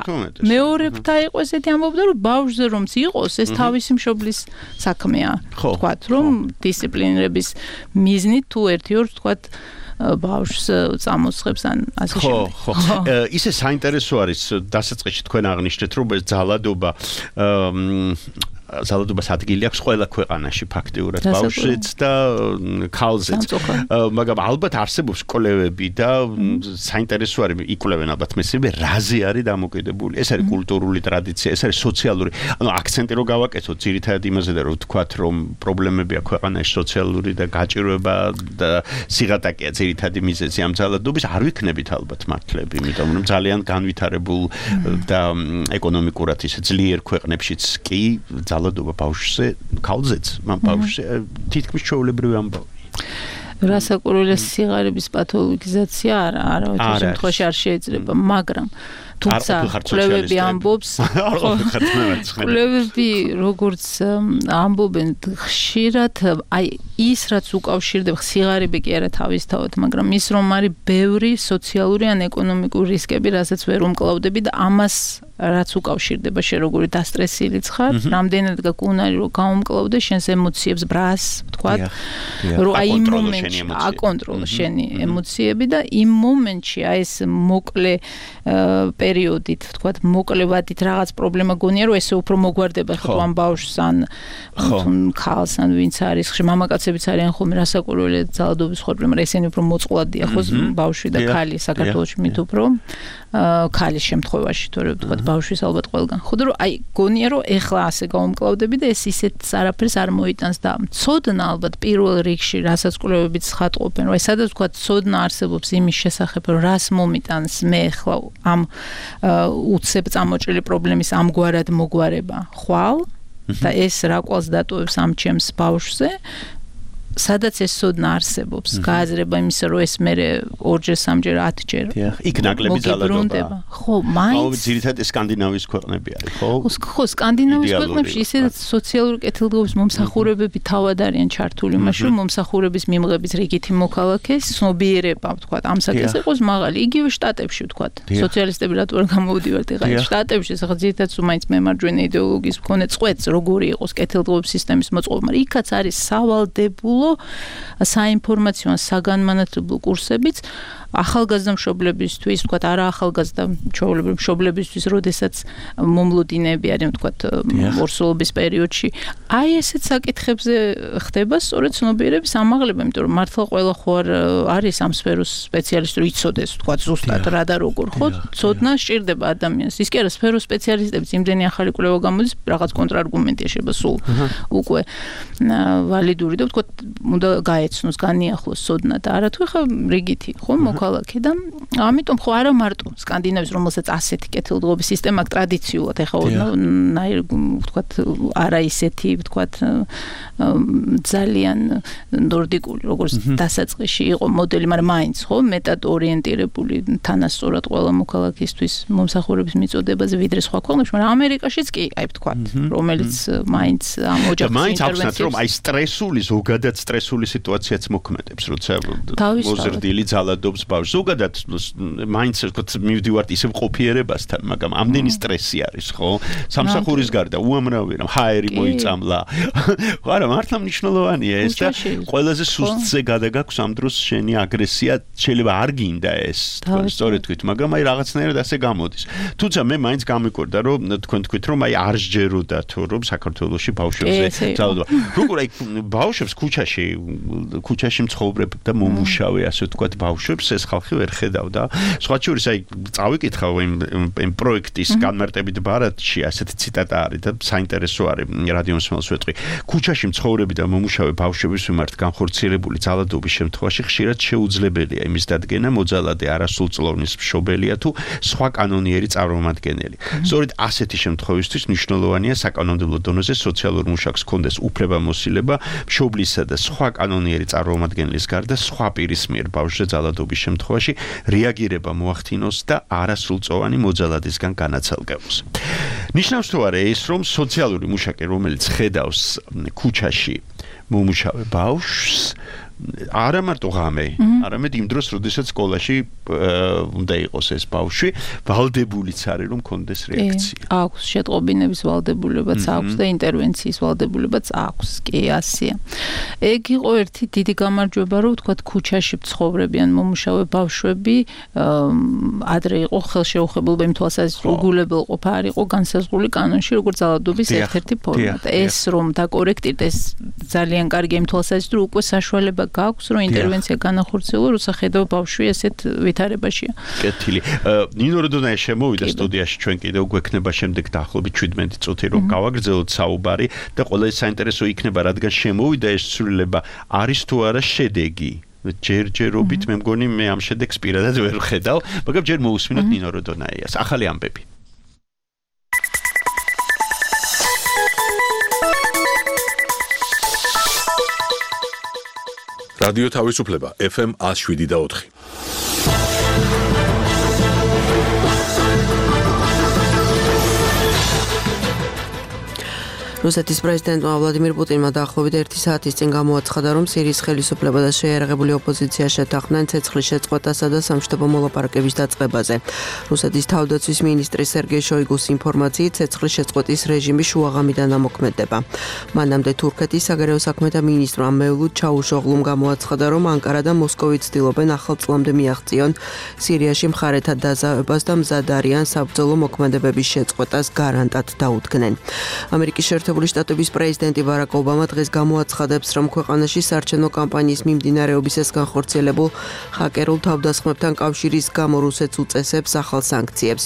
მეორებთა იყო ესეთი ამბობდა რომ ბავშვზე რომც იყოს ეს თავისი მშობლის საქმეა თქვათ რომ დისციპლინირების მიზნით თუ ერთი-ორ თქვათ ბავშვს წამოსხებს ან ასე შემდეგ. ხო. ისე საინტერესო არის დასაწყისში თქვენ აღნიშნეთ რომ ეს ძალადობა ძალადობას ადგილი აქვს ყველა ქვეყანაში ფაქტიურად ბავშვიც და ქალზეც. მაგრამ ალბათ არსებობს კვლევები და საინტერესო არის იკვლევენ ალბათ მესმე რაზე არის დამოკიდებული. ეს არის კულტურული ტრადიცია, ეს არის სოციალური, ანუ აქცენტი რო გავაკეთოთ ძირითადად იმაზე და რო ვთქვათ რომ პრობლემებია ქვეყანაში სოციალური და გაჭირვება და სიღატაკეა ძირითადი მიზეზი ამ ძალადობის არ ვიქნებით ალბათ მართლები, იმიტომ რომ ძალიან განვითარებულ და ეკონომიკურად ისე ძლიერ ქვეყნებშიც კი ძალადობა ბავშვზე, ქალზეც, მან ბავშვზე თითქმის ჩვეულებრივი ამბავი. რასაკვირველია სიღარიბის პათოლოგიზაცია არა, ოღონდ შემთხვევაში არ შეიძლება, მაგრამ თუმცა კვლევები ამბობს, კვლევები როგორც ამბობენ ხშირად, აი ის რაც უკავშირდება სიღარიბე კი არა თავისთავად, მაგრამ ის რომ არის ბევრი სოციალური ან ეკონომიკური რისკები, რასაც ვერ უმკლავდები და ამას რაც უკავშირდება შენ როგორი დასტრესილიც ხარ, რამდენად გაკუნარი რომ გაუმკლავდე შენს ემოციებს ბრას, ვთქვათ, რომ აი იმ მომენტში აკონტროლო შენი ემოციები და იმ მომენტში აი ეს მოკლე პერიოდით, ვთქვათ, მოკლევადით რაღაც პრობლემა გონია, რომ ესე უფრო მოგვარდება ხო ამ ბავშვს ან ქალს ან ვინც არის, ხშირ მამაკაცებიც არიან ხოლმე რასაკვირველია ძალადობის ხორბლი, მაგრამ ესენი უფრო მოწყვლადია ხო ბავშვი და ქალი საქართველოში მით უფრო ქალის შემთხვევაში, თორე ვთქვათ ბავშვის ალბათ ყველგან. ხო და რომ აი გონია რომ ეხლა ასე გაუმკლავდები და ეს ისეთ არაფერს არ მოიტანს და ცოდნა ალბათ პირველ რიგში რასაც კვლევებიც ხატყოფენ, რომ აი სადაც ვთქვათ ცოდნა არსებობს იმის შესახებ, რომ რას მომიტანს მე ეხლა ამ უცებ წამოჭრილი პრობლემის ამგვარად მოგვარება ხვალ და ეს რა კვალს დატოვებს ამ ჩემს ბავშვზე სადაც ეს სოდნა არსებობს, გააზრება იმისა, რომ ეს მე ორჯერ, სამჯერ, 10ჯერ. იქ ნაკლები ძალადობა. ხო, მაინც ძირითადად სკანდინავიის ქვეყნები არის, ხო? ხო, სკანდინავიის ქვეყნებში ისედაც სოციალური კეთილდღეობის მომსახურებები თავად არიან ჩართული, მაშინ რომ მომსახურების მიმღების რიგითი მოქალაქე ცნობიერება, ვთქვათ, ამ საკითხს იყოს მაღალი. იგივე შტატებში, ვთქვათ, სოციალისტები რატო არ გამოვდივართ ახლა შტატებში, ახლა ძირითადად მაინც მემარჯვენე იდეოლოგიის მქონე წყვეტს, როგორი იყოს კეთილდღეობის სისტემის მოწყობა, მაგრამ იქაც არის სავალდებულო საინფორმაციო საგანმანათლებლო კურსებიც ახალგაზრდა მშობლებისთვის, ვთქვათ, არა ახალგაზრდა მშობლებისთვის, როდესაც მომლოდინეები არიან, ვთქვათ, ორსულობის პერიოდში. აი ესეთ საკითხებზე ხდება სწორედ ცნობიერების ამაღლება, იმიტომ რომ მართლა ყველა ხო არ არის ამ სფეროს სპეციალისტი, რომ იცოდეს, ვთქვათ, ზუსტად რა და როგორ, ხო? ცოდნა სჭირდება ადამიანს. ის კი არა, სფეროს სპეციალისტებიც იმდენი ახალი კვლევა გამოდის, რაღაც კონტრარგუმენტია შეიძლება სულ უკვე ვალიდური და ვთქვათ, უნდა გაეცნოს, განიახლოს ცოდნა და არათუ ხა რიგითი, ხო? მოქალაქე და ამიტომ ხო არა მარტო სკანდინავიის, რომელსაც ასეთი კეთილდღეობის სისტემა აქვს ტრადიციულად, ეხლა ვთქვათ, არა ისეთი, ვთქვათ, ძალიან ნორდიკული, როგორც დასაწყისში იყო მოდელი, მაგრამ მაინც ხო, მეტად ორიენტირებული თანასწორად ყველა მოქალაქისთვის მომსახურების მიწოდებაზე ვიდრე სხვა ქვეყნებში, მაგრამ ამერიკაშიც კი, აი ვთქვათ, რომელიც მაინც ამ ოჯახის ინტერვენციებს რომ აი სტრესული, ზოგადად სტრესული სიტუაციაც მოქმედებს, როცა მოზრდილი ძალადობს ბავშვს. ზოგადად მაინც ვთქვათ, მივდივართ ისევ ყოფიერებასთან, მაგრამ ამდენი სტრესი არის, ხო? სამსახურის გარდა უამრავი რამ ჰაერი მოიწამლა. ხო არა, მართლა მნიშვნელოვანია ეს და ყველაზე სუსტზე გადაგაქვს ამ დროს შენი აგრესია, შეიძლება არ გინდა ეს, სწორედ თქვით, მაგრამ აი რაღაცნაირად ასე გამოდის. თუმცა მე მაინც გამიკვირდა, რომ თქვენ თქვით, რომ აი არ სჯეროდა თუ რომ საქართველოში ბავშვებზე ძალადობა. როგორ აი ბავშვებს ქუჩაში მცხოვრებ და მომუშავე, ასე ვთქვათ, ბავშვებს ეს ხალხი ვერ ხედავდა. სხვა შორის აი წავიკითხავ იმ პროექტის განმარტებით ბარათში ასეთი ციტატა არის და საინტერესო არის რადიომსმენელს ვეტყვი. ქუჩაში მცხოვრები და მომუშავე ბავშვების მიმართ განხორციელებული ძალადობის შემთხვევაში ხშირად შეუძლებელია იმის დადგენა მოძალადე არასრულწლოვნის მშობელია თუ სხვა კანონიერი წარმომადგენელი. სწორედ ასეთი შემთხვევისთვის მნიშვნელოვანია საკანონმდებლო დონეზე სოციალურ მუშაკს ჰქონდეს უფლებამოსილება მშობლისა და სხვა კანონიერი წარმომადგენლის გარდა სხვა პირის მიერ ბავშვზე ძალადობის შემთხვევაში რეაგირება მოახდინოს და არასრულწლოვანი მოძალადისგან განაცალკევოს. ნიშნავს თუ არა ეს, რომ სოციალური მუშაკი, რომელიც ხედავს ქუჩაში მომუშავე ბავშვს, არა მარტო ღამე, არამედ იმ დროს, როდესაც სკოლაში უნდა იყოს ეს ბავშვი, ვალდებულიც არის, რომ კონდეს რეაქცია. აქვს შეტყობინების ვალდებულებაც აქვს და ინტერვენციის ვალდებულებაც აქვს. კი, ასეა. ეგ იყო ერთი დიდი გამარჯვება, რომ ვთქვათ, ქუჩაში მცხოვრებიან მომუშავე ბავშვები ადრე იყო ხელშეუხებლობა იმ თვალსაზრისით, რომ უგულებელყოფა არ იყო განსაზღვრული კანონში, როგორც ძალადობის ერთ-ერთი ფორმა. და ეს რომ დაკორექტირდეს, ძალიან კარგი იმ თვალსაზრისით, რომ უკვე საშუალება გაქვს, რომ ინტერვენცია განახორციელოს, როცა ხედავ ბავშვი ესეთ ვითარებაშია. კეთილი. ნინო როდონაია შემოვიდა სტუდიაში, ჩვენ კიდევ გვექნება შემდეგ დაახლოებით 17 წუთი, რომ გავაგრძელოთ საუბარი და ყველა საინტერესო იქნება, რადგან შემოვიდა ეს ცვლილება, არის თუ არა შედეგი. ჯერჯერობით მე მგონი მე ამ შედეგს პირადად ვერ ხედავ, მაგრამ ჯერ მოусმინოთ ნინო როდონაიას. ახალი ამბები. რადიო თავისუფლება FM 107.4. რუსეთის პრეზიდენტმა ვლადიმირ პუტინმა დაახლოებით 1 საათის წინ გამოაცხადა, რომ სირიის ხელისუფლება და შეიარაღებული ოპოზიცია შეთანხმდნენ ცეცხლის შეწყვეტასა და სამშვიდობო მოლაპარაკების დაწყებაზე. რუსეთის თავდაცვის მინისტრი სერგეი შოიგუს ინფორმაციით, ცეცხლის შეწყვეტის რეჟიმი შუაღამიდან ამოქმედება. მანამდე თურქეთის საგარეო საქმეთა მინისტრმა მევლუდ ჩაუშოღლუმ გამოაცხადა, რომ ანკარა და მოსკოვი ცდილობენ ახალ წლამდე მიაღწიონ სირიაში მხარეთა დაზავებას და მზად არიან საბრძოლო მოქმედებების შეწყვეტას გარანტად დაუდგნენ. ამერიკის შეერთებული შტატების პრეზიდენტი ბარაკ ობამა დღეს გამოაცხადებს, რომ ქვეყანაში საარჩევნო კამპანიის მიმდინარეობისას განხორციელებულ ჰაკერულ თავდასხმებთან კავშირის გამო რუსეთს უწესებს ახალ სანქციებს.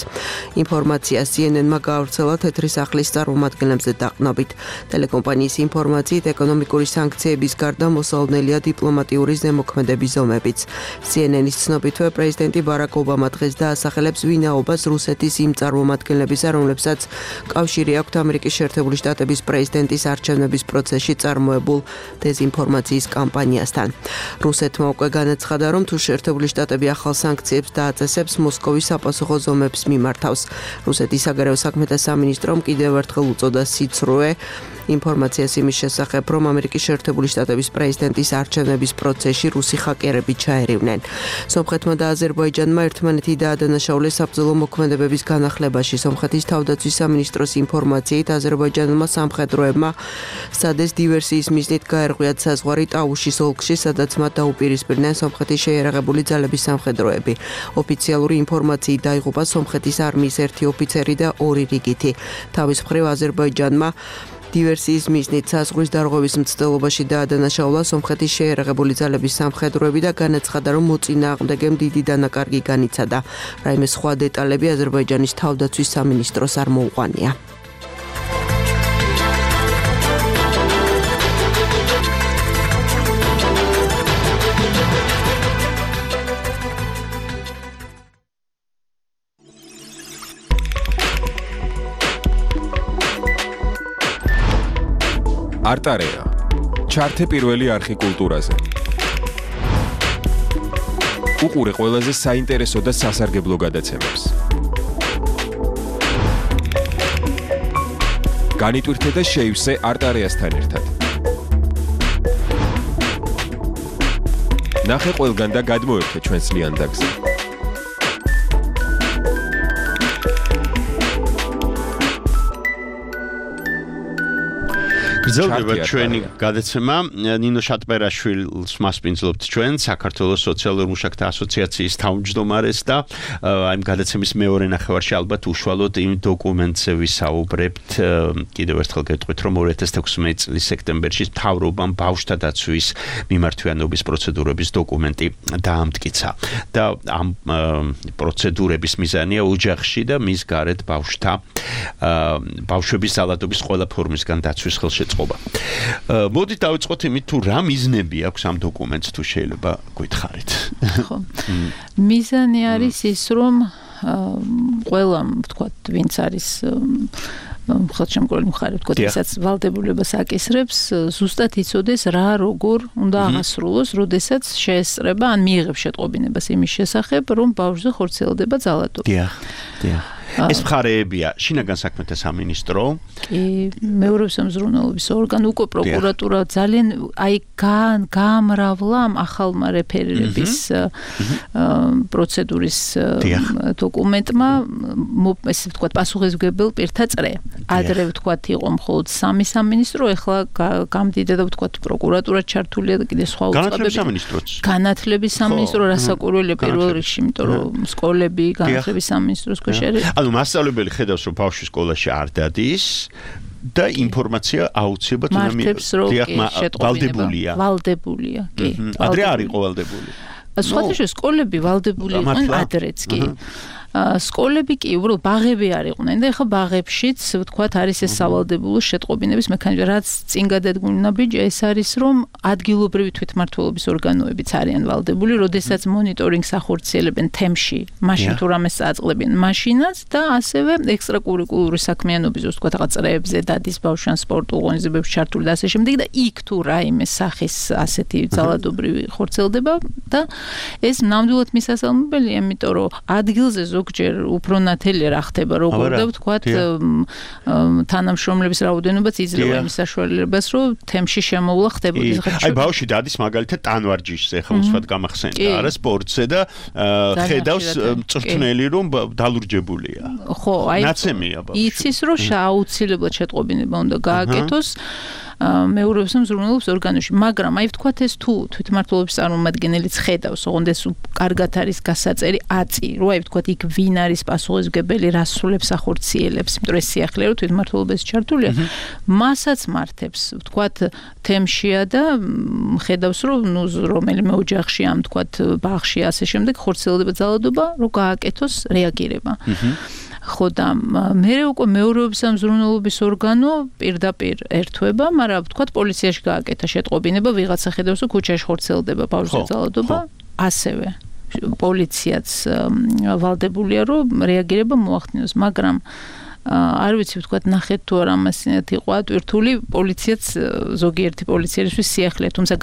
ინფორმაცია CNN-მა გაავრცელა თეთრი სახლის წარმომადგენლებზე დაყნობით. ტელეკომპანიის ინფორმაციით, ეკონომიკური სანქციების გარდა მოსალოდნელია დიპლომატიური ზემოქმედების ზომებიც. CNN-ის ცნობითვე, პრეზიდენტი ბარაკ ობამა დღეს დაასახელებს ვინაობას რუსეთის იმ წარმომადგენლებისა, რომლებსაც კავშირი აქვთ ამერიკის შეერთებული შტატების შტატების პრეზიდენტის არჩევნების პროცესში წარმოებულ დეზინფორმაციის კამპანიასთან. რუსეთმა უკვე განაცხადა, რომ თუ შეერთებული შტატები ახალ სანქციებს დააწესებს, მოსკოვის საპასუხო ზომებს მიმართავს. რუსეთის საგარეო საქმეთა სამინისტრომ კიდევ ერთხელ უწოდა სიცრუე ინფორმაციას იმის შესახებ, რომ ამერიკის შეერთებული შტატების პრეზიდენტის არჩევნების პროცესში რუსი ჰაკერები ჩაერივნენ. სომხეთმა და აზერბაიჯანმა ერთმანეთი დაადანაშაულეს საბრძოლო მოქმედებების განახლებაში. სომხეთის თავდაცვის სამინისტროს ინფორმაციით, აზერბაიჯანელმა სამხედროებმა სადეს დივერსიის მიზნით გაერღვიათ საზღვარი ტაუშის ოლქში, სადაც მათ დაუპირისპირდნენ სომხეთის შეიარაღებული ძალების სამხედროები. ოფიციალური ინფორმაციით დაიღუპა სომხეთის არმიის ერთი ოფიცერი და 2 რიგითი. თავის მხრივ აზერბაიჯანმა დივერსიის მიზნით საზღვრის დარღვევის მცდელობაში დაადანაშაულა სომხეთის შეიარაღებული ძალების სამხედროები და განაცხადა, რომ მოწინააღმდეგემ დიდი დანაკარგი განიცადა. რაიმე სხვა დეტალები აზერბაიჯანის თავდაცვის სამინისტროს არ მოუყვანია. არტარეა. ჩართე პირველი არხი კულტურაზე. უყურე ყველაზე საინტერესო და სასარგებლო გადაცემებს. განიტვირთე და შეივსე არტარეასთან ერთად. ნახე ყველგან და გადმოერთე ჩვენს ლიანდაგზე. გრძელდება ჩვენი გადაცემა. ნინო შატბერაშვილს მასპინძლობთ ჩვენ, საქართველოს სოციალურ მუშაკთა ასოციაციის თავმჯდომარეს და აი გადაცემის მეორე ნახევარში ალბათ უშუალოდ იმ დოკუმენტზე ვისაუბრებთ. კიდევ ერთხელ გეტყვით, რომ 2016 წლის სექტემბერში მთავრობამ ბავშვთა დაცვის მიმართვიანობის პროცედურების დოკუმენტი დაამტკიცა და ამ პროცედურების მიზანია ოჯახში და მის გარეთ ბავშვების ზალადობის ყველა ფორმისგან დაცვის ხელშეწყობა. მოდით დავიწყოთ იმით, თუ რა მიზნები აქვს ამ დოკუმენტს, თუ შეიძლება გითხარით. ხო. მიზანი არის ის, რომ ყველა, ვთქვათ, ვინც არის ხელშემკრული მხარე, ვთქვათ, ვისაც ვალდებულებას აკისრებს, ზუსტად იცოდეს რა როგორ უნდა აღასრულოს, როდესაც შეესწრება ან მიიღებს შეტყობინებას იმის შესახებ, რომ ბავშვზე ხორციელდება ძალადობა. დიახ. ეს მხარეებია შინაგან საქმეთა სამინისტრო, კი, მეურვეობის მზრუნველობის ორგანო, უკვე პროკურატურა ძალიან აი გაამრავლა ამ ახალმა რეფერირების პროცედურის დოკუმენტმა, ესე ვთქვათ, პასუხისმგებელ პირთა წრე. ადრე ვთქვათ, იყო მხოლოდ 3 სამინისტრო, ეხლა გამდიდა და ვთქვათ, პროკურატურა ჩართულია და კიდე სხვა უწყებები. განათლების სამინისტრო, რასაკვირველია პირველ რიგში, იმიტომ რომ სკოლები განათლების სამინისტროს ქვეშ არის. ანუ მასწავლებელი ხედავს, რომ ბავშვი სკოლაში არ დადის და ინფორმაცია აუცილებლად ვალდებულია, კი. ადრე არ იყო ვალდებული. სხვადასხვა სკოლები ვალდებული იყვნენ ადრეც, კი. სკოლები კი უბრალოდ ბაღები არ იყვნენ და ეხლა ბაღებშიც ვთქვათ არის ეს სავალდებულო შეტყობინების მექანიზმი, რაც წინ გადადგმული ნაბიჯია, ეს არის რომ ადგილობრივი თვითმმართველობის ორგანოებიც არიან ვალდებული, როდესაც მონიტორინგს ახორციელებენ თემში, მაშინ თუ რამეს წააწყლებენ მაშინაც და ასევე ექსტრაკურიკულური საქმიანობის ვთქვათ რაღაც წრეებზე დადის ბავშვიან სპორტულ ორგანიზებებში ჩართული და ასე შემდეგ და იქ თუ რაიმე სახის ასეთი ძალადობრივი ხორციელდება და ეს ნამდვილად მისასალმებელია, იმიტომ რომ ადგილზე ზოგჯერ უფრო ნათელი რა ხდება, როგორ და ვთქვათ, თანამშრომლების რაოდენობაც იძლევა იმ საშუალებას, რომ თემში შემოვლა ხდებოდეს. აი ბავშვი დადის მაგალითად ტანვარჯიშზე, ახლა უსვათ გამახსენდა, არა სპორტზე და ხედავს მწვრთნელი რომ დალურჯებულია. ხო, აი ნაცემია ბავშვი. იცის რომ აუცილებლად შეტყობინება უნდა გააკეთოს მეურვეობის მზრუნველობის ორგანოში, მაგრამ აი ვთქვათ ეს თუ თვითმმართველობის წარმომადგენელიც ხედავს, ოღონდ ეს კარგად არის გასაწერი აწი, რომ აი ვთქვათ იქ ვინ არის პასუხისმგებელი, რა სრულებს ახორციელებს, იმიტომ რომ ეს სიახლე რომ თვითმმართველობაში ჩართულია, მასაც მართებს, ვთქვათ თემშია და ხედავს რომ ნუ რომელიმე ოჯახში ამ ვთქვათ ბაღში ასე შემდეგ ხორციელდება ძალადობა, რომ გააკეთოს რეაგირება. ხო და მე უკვე მეურვეობის მზრუნველობის ორგანო პირდაპირ ერთვება, მაგრამ ვთქვათ პოლიციაში გააკეთა შეტყობინება, ვიღაცა ხედავს რომ ქუჩაში ხორციელდება ბავშვის ძალადობა, ასევე პოლიციაც ვალდებულია რომ რეაგირება მოახდინოს, მაგრამ არ ვიცი ვთქვათ ნახეთ თუ არა ამასინათ იყო ატვირთული პოლიციაც ზოგიერთი პოლიციელისთვის სიახლე თუმცა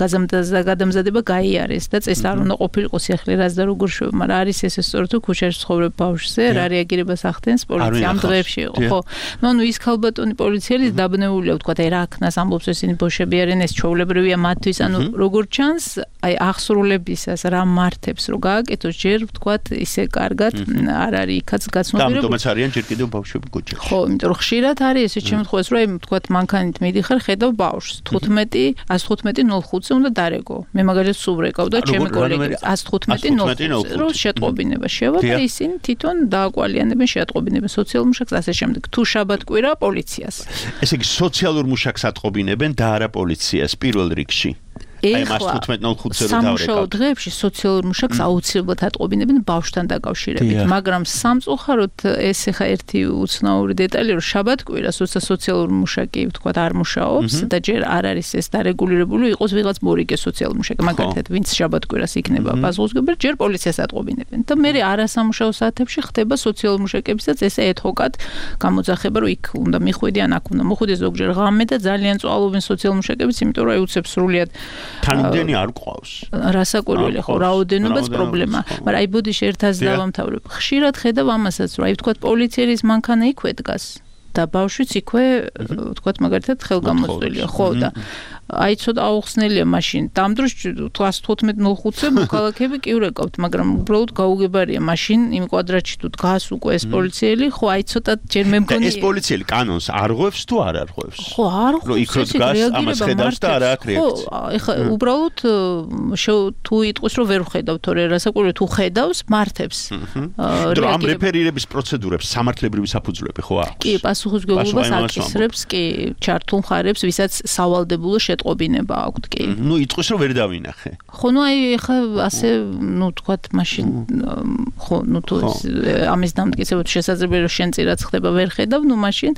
გადამზადება გაიარეს და წეს არ უნდა ყოფილიყო სიახლე რაც და როგორ შვება მაგრამ არის ესე სწორედ თუ ქუჩაში ცხოვრებ ბავშვზე რა რეაგირებას ახდენს პოლიცია ამ დღეებში იყო ხო ნუ ის ქალბატონი პოლიციელი დაბნეულია ვთქვათ აი რა აქნას ამბობს ესენი ბოშები არიან ეს ჩვეულებრივია მათთვის ანუ როგორ ჩანს აი აღსრულებისას რა მართებს რო გააკეთოს ჯერ ვთქვათ ისე კარგად არ არის იქაც გაცნობიერებული ამიტომაც არიან ჯერ კიდევ ბავშვები ქუჩაში ხო იმიტომ რომ ხშირად არის ესე შემთხვევას რომ აი ვთქვათ მანქანით მიდიხარ ხედავ ბავშვს 115:05-ზე უნდა დარეგო მე მაგალითად სულ ვრეკავ და ჩემი კოლეგები 115:05 რო შეტყობინება შევა და ისინი თვითონ დააკვალიანებენ შეატყობინებენ სოციალურ მუშაკს ასე შემდეგ თუ შაბათ-კვირა პოლიციას ესე იგი სოციალურ მუშაკს ატყობინებენ და არა პოლიციას პირველ რიგში აი მას 15:05-ზე რომ დავრეკავთ. სამუშაო დღეებში სოციალურ მუშაკს აუცილებლად ატყობინებენ ბავშვთან დაკავშირებით, მაგრამ სამწუხაროდ ეს ახლა ერთი უცნაური დეტალი რომ შაბათ-კვირას როცა სოციალურ მუშაკი ვთქვათ არ მუშაობს და ჯერ არ არის ეს დარეგულირებული იყოს ვიღაც მორიგე სოციალურ მუშაკი, მაგალითად ვინც შაბათ-კვირას იქნება პასუხისმგებელი, ჯერ პოლიციას ატყობინებენ და მე არასამუშაო საათებში ხდება სოციალურ მუშაკებისაც ესე ეთჰოკად გამოძახება რომ იქ უნდა მიხვიდე ან აქ უნდა მოხვიდე ზოგჯერ ღამე და ძალიან წვალობენ სოციალურ მუშაკებიც, იმიტომ რომ აი უცებ სრულიად თანმიმდენი არ ყავს. რასაკვირველი ხო, რაოდენობაც პრობლემა. მაგრამ აი ბოდიში ერთას დავამთავრებ. ხშირად ხედავ ამასაც, რომ აი ვთქვათ პოლიციის მანქანა იქვე დგას და ბავშვიც იქვე ვთქვათ მაგალითად ხელგამოწვილია. ხო და აი ცოტა აუხსნელია მაშინ. ამ დროს 115:05-ზე მოქალაქეები კი ვრეკავთ, მაგრამ უბრალოდ გაუგებარია მაშინ იმ კვადრატში თუ დგას უკვე ეს პოლიციელი, ხო აი ცოტა ჯერ მე მგონი ეს პოლიციელი კანონს არღვევს თუ არ არღვევს? ხო, არღვევს. რომ იქ რო დგას, ამას ხედავს და არ აქვს რეაქცია. ხო, ეხლა უბრალოდ თუ იტყვის რომ ვერ ვხედავ, თორე რასაკვირველია თუ ხედავს, მართებს. რომ ამ რეფერირების პროცედურებს სამართლებრივი საფუძვლები ხო აქვს? კი, პასუხისმგებლობას აკისრებს, კი, ჩართულ მხარებს, ვისაც სავალდებულო ყობინება აქვთ კი. ნუ იტყვის რომ ვერ დავინახე. ხო, ნუ აი ეხა ასე, ნუ თქვათ მაშინ ხო, ნუ თუ ამის დამტკიცება თუ შესაძლებელია რომ შენ წირაც ხდება ვერ ხედავ, ნუ მაშინ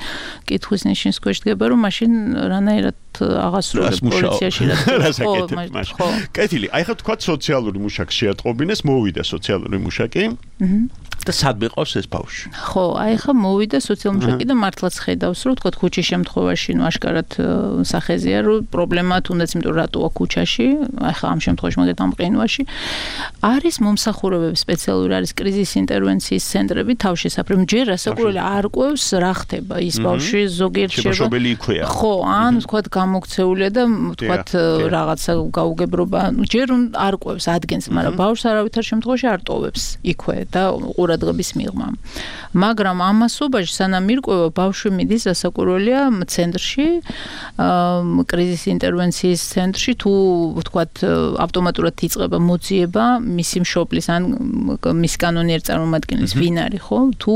კითხვის ნიშნის ქვეშ დგება რომ მაშინ რანაირად აღასრულებ პოლიციაში რა. ხო. კეთილი, აი ხა თქვათ სოციალური მუშაკი შეატყობინეს, მოვიდა სოციალური მუშაკი. და სადმე ყავს ეს ბავშვი. ხო, აი ხა მოვიდა სოციალურ მუშაკი და მართლაც ხედავს რომ თქვათ ქუჩის შემთხვევაში, ნუ აშკარად სახეზეა რომ პრობლემა თუნდაც იმიტომ რატოა ქუჩაში, აი ხა ამ შემთხვევაში მაგათ ამ ყინვაში არის მომსახურებები სპეციალური არის კრიზის ინტერვენციის ცენტრები თავშესაფრები. ჯერ რასაკვირველია არ ყვევს რა ხდება ის ბავშვი ზოგიერთ შემოშობილი იქვეა. ხო, ან თქვათ გამოქცეულია და თქვათ რაღაცა გაუგებრობა, ჯერ არ ყვევს ადგენს, მაგრამ ბავშვს არავითარ შემთხვევაში არ ტოვებს იქვე და ყურადღების მიღმა. მაგრამ ამასობაში სანამ მირკვევა ბავშვი მიდის რასაკვირველია ცენტრში კრიზის ინტერვენციის ცენტრში თუ ვთქვათ ავტომატურად იწყება მოძიება მისი მშობლის ან მის კანონიერ წარმომადგენლის ვინ არის ხო თუ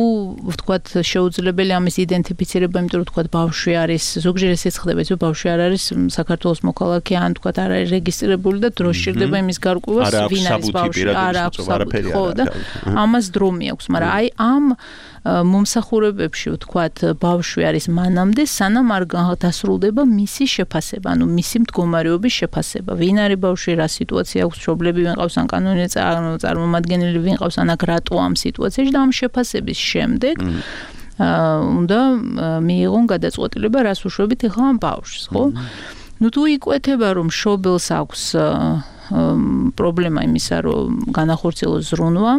ვთქვათ შეუძლებელი ამის იდენტიფიცირება იმიტომ რომ ვთქვათ ბავშვი არის ზოგჯერ ესეც ხდება ის რომ ბავშვი არ არის საქართველოს მოქალაქე ან ვთქვათ არ არის რეგისტრირებული და დრო სჭირდება იმის გარკვევას ვინ არის ბავშვი არ აქვს საფუძველი ხო და ამას დრო მიაქვს მაგრამ აი ამ მომსახურებებში ვთქვათ ბავშვი არის მანამდე სანამ არ დასრულდება მისი შეფასება ანუ მისი მდგომარეობის შეფასება ვინ არის ბავშვი რა სიტუაცია აქვს მშობლები ვინ ყავს ან კანონიერ წარმომადგენელი ვინ ყავს ან აქ რატო ამ სიტუაციაში და ამ შეფასების შემდეგ უნდა მიიღონ გადაწყვეტილება რას უშვებით ახლა ამ ბავშვს ხო ну თუ იკვეთება რომ მშობელს აქვს პრობლემა იმისა რომ განახორციელოს ზრუნვა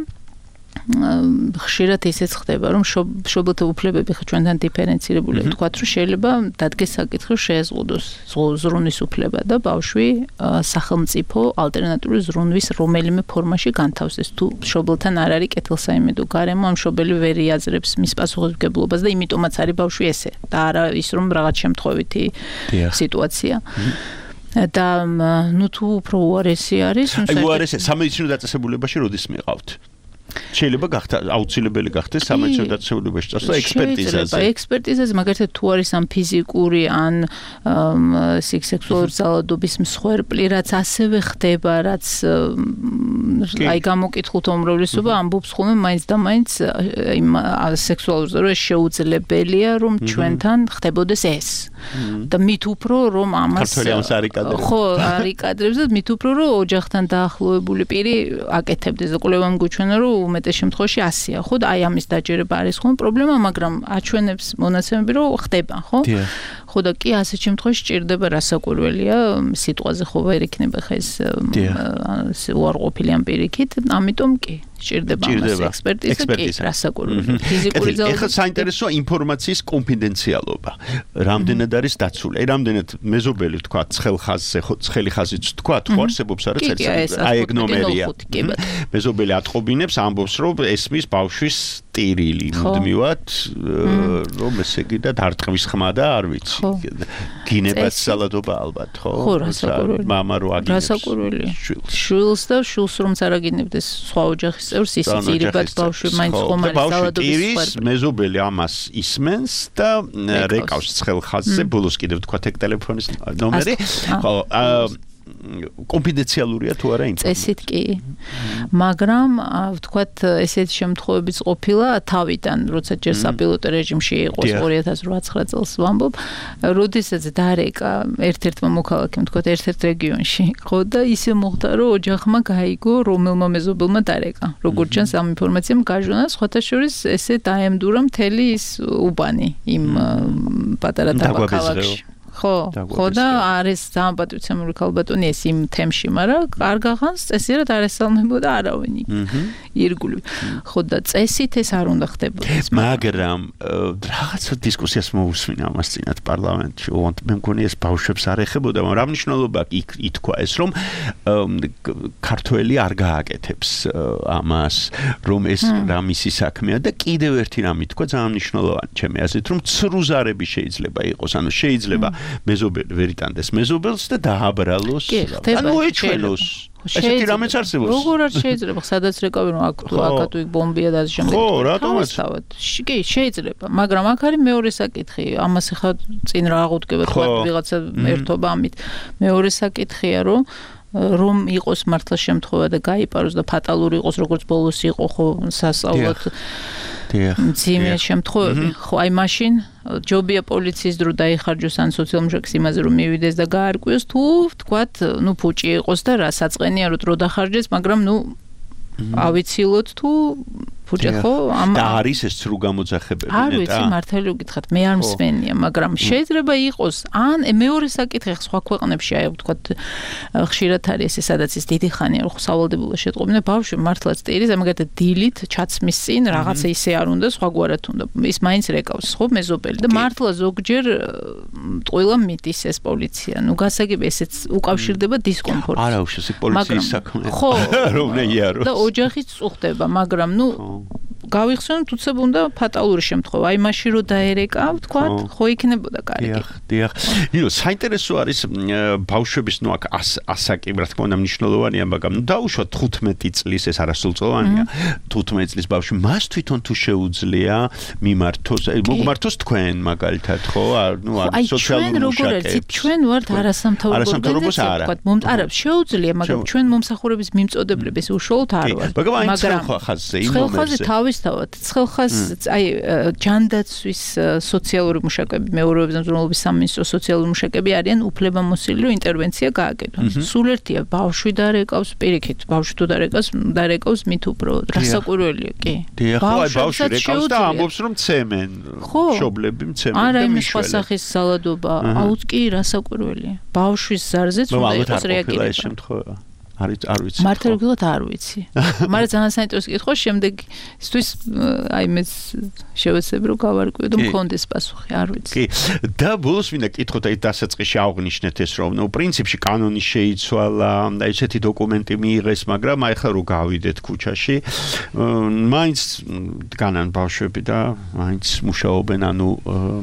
ხშირად ისეც ხდება რომ მშობელთა უფლებები ჩვენთან დიფერენცირებულია თქვათ რომ შეიძლება დადგეს საკითხი რომ შეეზღუდოს ზრუნვის უფლება და ბავშვი სახელმწიფო ალტერნატიული ზრუნვის რომელიმე ფორმაში განთავსდეს თუ მშობელთან არ არის კეთილსაიმედო გარემო ამ მშობელი ვერ იაძრებს მის პასუხისმგებლობას და იმიტომაც არის ბავშვი ესე და არა ის რომ რაღაც შემთხვევითი სიტუაცია და ნუ თუ უფრო უარესი არის აი უარესი სამედიცინო დაწესებულებაში როდის მიყავთ შეიძლება გახდა აუცილებელი გახდეს სამედიცინო დაწესებულებაში წასვლა ექსპერტიზაზე. ექსპერტიზაზე მაგალითად თუ არის ამ ფიზიკური ან სექსუალური ძალადობის მსხვერპლი, რაც ასევე ხდება, რაც აი გამოკითხულთა უმრავლესობა ამბობს ხოლმე მაინც და მაინც იმ სექსუალურ ძალადობას შეუძლებელია რომ ჩვენთან ხდებოდეს ეს. და მით უფრო რომ ამას ხო არიკადრებს და მით უფრო რომ ოჯახთან დაახლოებული პირი აკეთებდეს და კვლევამ გვიჩვენა რომ უმეტეს შემთხვევაში 100-ია ხო და აი ამის დაჯერება არის ხომ პრობლემა მაგრამ აჩვენებს მონაცემები რომ ხდება ხო ხო და კი ასეთ შემთხვევაში ჭირდება რასაკვირველია სიტყვაზე ხო ვერ იქნება ხა ეს უარყოფილი ამ პირიქით ამიტომ კი ჭირდება ამას ექსპერტიზა რასაკვირველი ფიზიკური ძალა ეხლა საინტერესოა ინფორმაციის კონფიდენციალობა რამდენად არის დაცული აი რამდენად მეზობელი თქვა ცხელ ხაზზე ხო ცხელი ხაზიც თქვა ხო არსებობს არა წერტილი აი ეგ ნომერია მეზობელი ატყობინებს ამბობს რომ ესმის ბავშვის ტირილი მუდმივად რომ ესე იგი და დარტყმის ხმა და არ ვიცი გინებაც სალადობა ალბათ ხო ხო რასაკვირველი მამა რო აგინებს რასაკვირველი შვილს და შვილს რომ წარაგინებდეს სხვა ოჯახის წევრს ისიც ირიბად ბავშვი მაინც ხომ არის სალადობის მეზობელი ამას ისმენს და რეკავს ცხელ ხაზზე ბოლოს კიდევ თქვა ეგ ტელეფონის ნომერი ხო კონფიდენციალურია თუ არა ინფორმაცია წესით კი მაგრამ ვთქვათ ესეთ შემთხვევებიც ყოფილა თავიდან როცა ჯერ საპილოტო რეჟიმში იყო 2008 წელს ვამბობ როდესაც დარეკა ერთ-ერთმა მოქალაქემ ვთქვათ ერთ-ერთ რეგიონში ხო და ისე მოხდა რომ ოჯახმა გაიგო რომელმა მეზობელმა დარეკა როგორც ჩანს ამ ინფორმაციამ გაჟონა სხვათა შორის ესე დაემდურა მთელი ის უბანი იმ პატარა დაბაქალაქში ხო და არის ძალიან პატრიოტული ქალბატონი ეს იმ თემში, მაგრამ კარგაღანს წესიერად არ ესალმებოდა არავინ ირგული. ხო და წესით ეს არ უნდა ხდებოდეს. მაგრამ რაღაცა დისკუსიას მოусმინა ამას წინათ პარლამენტში. მე მგონი ეს ბავშვებს არ ეხებოდა, მაგრამ რა მნიშვნელობა ითქვა ეს რომ ქართველი არ გააკეთებს ამას, რომ ეს რა მისი საქმეა და კიდევ ერთი რამ ითქვა ძალიან მნიშვნელოვანი ჩემი აზრით, რომ ცრუზარები შეიძლება იყოს, ანუ შეიძლება მეზობელი ვერ იტანდეს მეზობელს და დააბრალოს ანუ ეჩვენოს ესეთი რამეც არსებობს როგორ არ შეიძლება სადაც რეკავი რომ აკატუ იქ ბომბია და ასე შემდეგ ხო რატომაც კი შეიძლება მაგრამ აქ არის მეორე საკითხი ამას ახლა წინ რა აღუდგება თქვა ვიღაცა ერთობა ამით მეორე საკითხია რომ იყოს მართლა შემთხვევა და გაიპაროს და ფატალური იყოს როგორც ბოლოს იყო ხო სასწაულად ძიმე შემთხვევები ხო აი მაშინ ჯობია პოლიციის დრო დაიხარჯოს ან სოციალურ იმაზე რომ მივიდეს და გაარკვიოს თუ ვთქვათ ნუ ფუჭი იყოს და რა საწყენია რომ დრო დახარჯეს მაგრამ ნუ ავიცილოთ თუ ფუჭი ხო და არის ეს სრულ გამოძახებები არ ვიცი მართალი გითხრათ მე არ მსმენია მაგრამ შეიძლება იყოს ან მეორე საკითხი სხვა ქვეყნებში აი ვთქვათ ხშირად არის ესე სადაც ის დიდი ხანია რომ სავალდებულო შეტყობინა ბავშვი მართლაც ტირის ამაგერად დილით ჩაცმის წინ რაღაცა ისე არ უნდა სხვაგვარად უნდა ის მაინც რეკავს ხო მეზობელი და მართლა ზოგჯერ ტყუილა მიდის ეს პოლიცია ნუ გასაგები ესეც უკავშირდება დისკომფორტს არა უშუალოდ პოლიციის საქმე რომ ნეიარო და ოჯახიც წუხდება მაგრამ ნუ გავიხსენოთ უცებ უნდა ფატალური შემთხვევა აი მაშინ რომ დაერეკა ვთქვათ ხო იქნებოდა კარგი დიახ ნუ საინტერესო არის ბავშვების ნუ აქ ასაკი რა თქმა უნდა მნიშვნელოვანია მაგრამ ნუ დაუშვათ 15 წლის ეს არასრულწლოვანია 15 წლის ბავშვი მას თვითონ თუ შეუძლია მიმართოს მოგმართოს თქვენ მაგალითად ხო ნუ არის სოციალური მუშაკები ჩვენ ვართ არასამთავრობო ვთქვათ არა შეუძლია მაგრამ ჩვენ მომსახურების მიმწოდებლების უშუალოდ არ ვართ მაგრამ ხაზზე იმ ხაზზე თავისთავად ცხელხაზ აი ჯანდაცვის სოციალური მუშაკები მეორეობის მზრუნველობის სამინისტროს სოციალური მუშაკები არიან უფლებამოსილი რომ ინტერვენცია გააკეთონ სულ ერთია ბავშვი დარეკავს პირიქით ბავშვი თუ დარეკავს მით უფრო რასაკვირველია კი ბავშვი რეკავს და ამბობს რომ ცემენ მშობლები მცემენ და არა იმ სხვა სახის სალადობა აუც კი რასაკვირველია ბავშვის ზარზეც უნდა იყოს რეაგირება არ ვიცი. მართალურად არ ვიცი. მაგრამ ძალიან საინტერესო კითხვა შემდეგ ისთვის აი მეც შევეცდები რომ გავარკვიო და მქონდეს პასუხი, არ ვიცი. კი. და ბოლოს მინდა კითხოთ აი დასაწყისში აღნიშნეთ ეს რომ ნუ პრინციპში კანონი შეიცვალა და ესეთი დოკუმენტი მიიღეს, მაგრამ აი ხა რო გავიდეთ ქუჩაში, მაინც დგანან ბავშვები და მაინც მუშაობენ, ანუ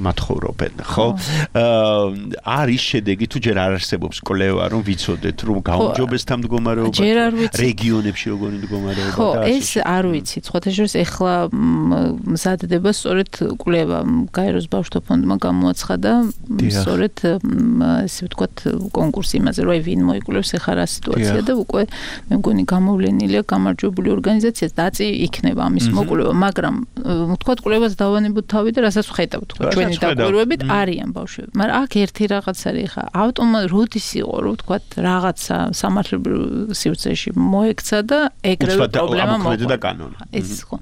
მათხოვრობენ, ხო? არის შედეგი თუ ჯერ არ არსებობს კვლევა რომ ვიცოდეთ რომ გაუმჯობესთან მდგომარეობა? ჯერ არ ვიცი. რეგიონებში როგორი მდგომარეობა? ხო, ეს არ ვიცი. სხვათაშორის ეხლა მზადდება სწორედ კვლევა გაეროს ბავშვთა ფონდმა გამოაცხადა სწორედ ესე ვთქვათ კონკურსი იმაზე, რომ ვინ მოიკვლევს ეხლა რა სიტუაცია და უკვე მე მგონი გამოვლენილია გამარჯვებული ორგანიზაცია დაწი იქნება ამის მოკვლევა, მაგრამ ვთქვათ კვლევას დავანებოთ თავი და რასაც ვხედავთ თქო ჩვენი დაკვირვებით არიან ბავშვები. მაგრამ აქ ერთი რაღაც არის ხა ავტომატ როდის იყო რომ ვთქვათ რაღაცა სამართლებრივ სივრცეში მოექცა და ეგრევე პრობლემა მოხდა. ეს ხო.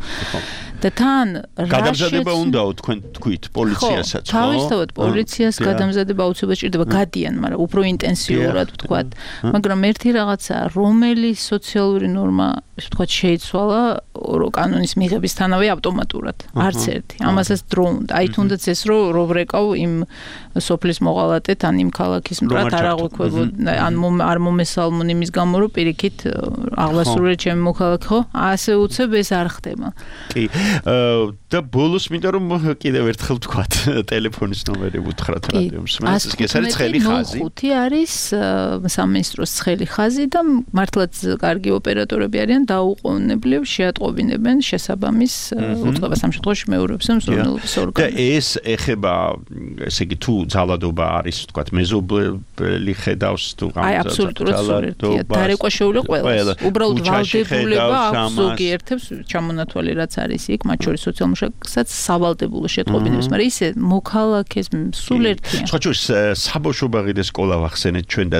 და თან გადამზადება უნდაო თქვენ თქვით პოლიციასაც ხო? თავისთავად პოლიციას გადამზადება აუცილებლად ჭირდება გადიან, მაგრამ უფრო ინტენსიურად ვთქვათ. მაგრამ ერთი რაღაცა რომელი სოციალური ნორმა ვთქვათ შეიცვალა კანონის მიღებისთანავე ავტომატურად. არც ერთი. ამასაც დრო უნდა. აი თუნდაც ეს რომ ვრეკავ იმ სოფლის მოღალატეთ ან იმ ქალაქის მტრად არ აღვიქვებოდა ან არ მომესალმონ იმის გამო რომ პირიქით აღლასრულე ჩემი მოქალაქე ხო? ასე უცებ ეს არ ხდება. კი. და ბოლოს მინდა რომ კიდევ ერთხელ ვთქვათ ტელეფონის ნომერი უთხრათ რადიომს. ეს არის ცხელი ხაზი. 05 არის სამინისტროს ცხელი ხაზი და მართლაც კარგი ოპერატორები არიან დაუყოვნებლივ შეატყობინებენ შესაბამის უწყებას ამ შემთხვევაში მეორეობს მსურველობის ორგანო. და ეს ეხება ესე იგი თუ ძალადობა არის ვთქვათ მეზობელი ხედავს თუ აი აბსოლუტურად სულერთია. დარეკვა შეუძლია ყველას. უბრალოდ ვალდებულება აქვს ზოგიერთებს ჩამონათვალი რაც არის იქ მათ შორის სოციალურ მუშაკსაც სავალდებულო შეტყობინებს, მაგრამ ისე მოქალაქეს სულერთია. სხვაჩვენს საბავშვო ბაღი და სკოლა ვახსენეთ ჩვენ და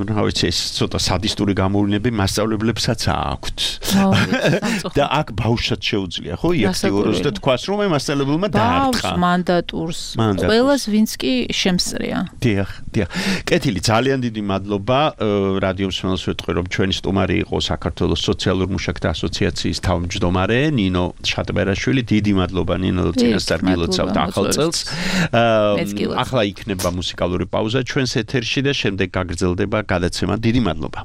რა ვიცი ეს ცოტა სადისტური გამოვლენები მასწავლებლებსაც აქვთ. და აქ ბავშვსაც შეუძლია ხო იაქტიუროს და თქვას რომ მასწავლებელმა დაარტყა მანდატურს ყველას ვინც კი შემსწრია. დიახ. კეთილი ძალიან დიდი მადლობა რადიოს მსმენელს ვეთქვი რომ ჩვენი სტუმარი იყო საქართველოს სოციალურ მუშაკთა ასოციაციის თავმჯდომარე ნინო შატბერაშვილი. დიდი მადლობა ნინო წინასწარ გილოცავთ ახალ წელს. ახლა იქნება მუსიკალური პაუზა ჩვენს ეთერში და შემდეგ გაგრძელდება გადაცემა. დიდი მადლობა.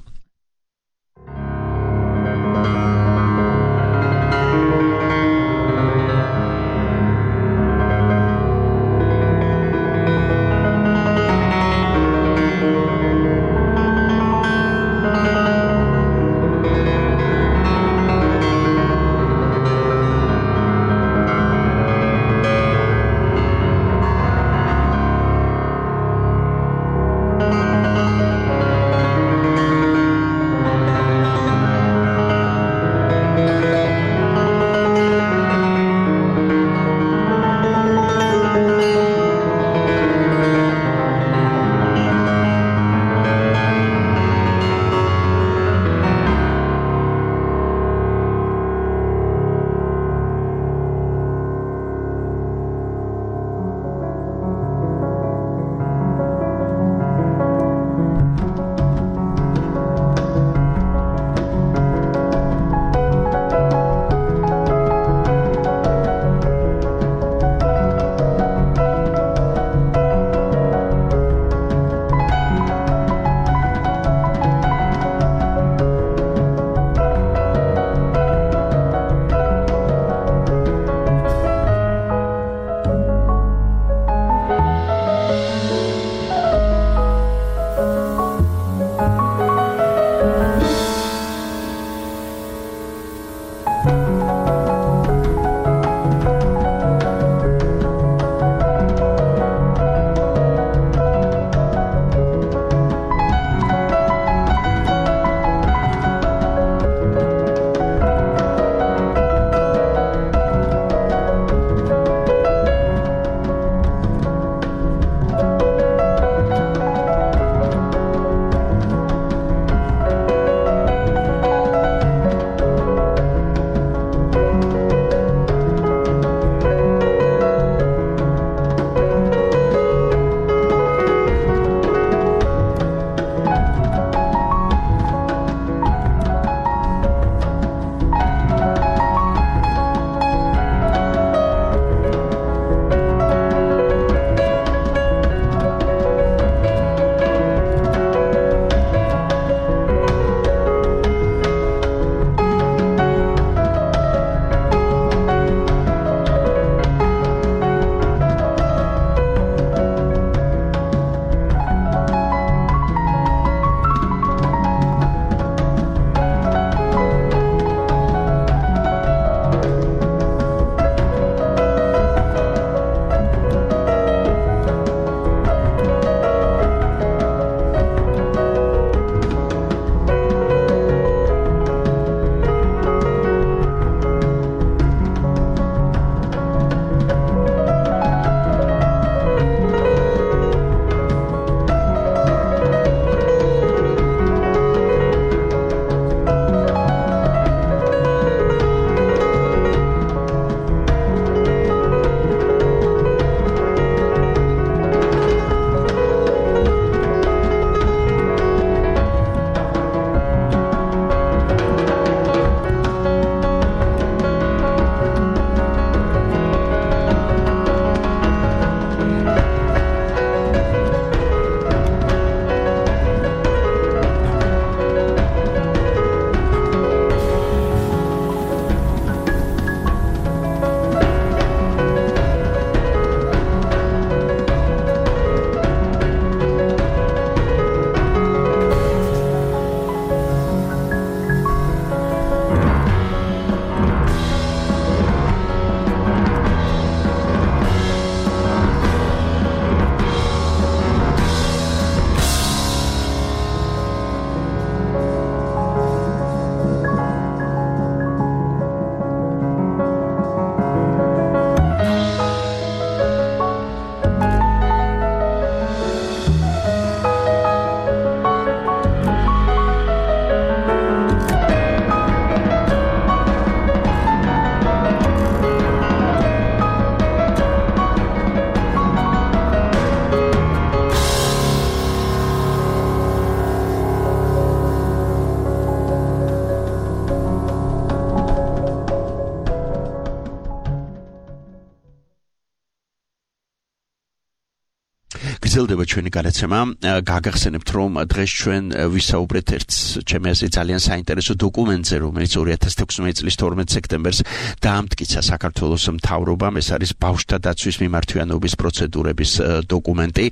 გრძელდება ჩვენი გადაცემა. გაგახსენებთ, რომ დღეს ჩვენ ვისაუბრეთ ერთ ჩემი აზრით ძალიან საინტერესო დოკუმენტზე, რომელიც 2016 წლის 12 სექტემბერს დაამტკიცა საქართველოს მთავრობამ. ეს არის ბავშვთა დაცვის მიმართვიანობის პროცედურების დოკუმენტი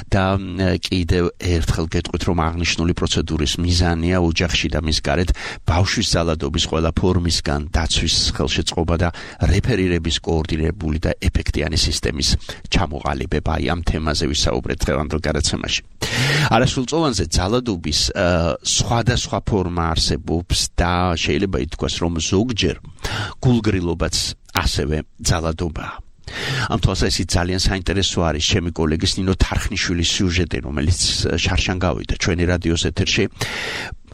და კიდევ ერთხელ გეტყვით, რომ აღნიშნული პროცედურის მიზანია ოჯახში და მის გარეთ ბავშვის ძალადობის ყველა ფორმისგან დაცვის ხელშეწყობა და რეფერირების კოორდინირებული და ეფექტიანი სისტემის ჩამოყალიბება. აი ამ თემაზე ვისაუბრეთ დღევანდელ გადაცემაში. არასრულწლოვანზე ძალადობის სხვადასხვა ფორმა არსებობს და შეიძლება ითქვას, რომ ზოგჯერ გულგრილობაც ასევე ძალადობაა. ამ თვალსაზრისით ძალიან საინტერესო არის ჩემი კოლეგის ნინო თარხნიშვილის სიუჟეტი, რომელიც შარშან გავიდა ჩვენი რადიოს ეთერში.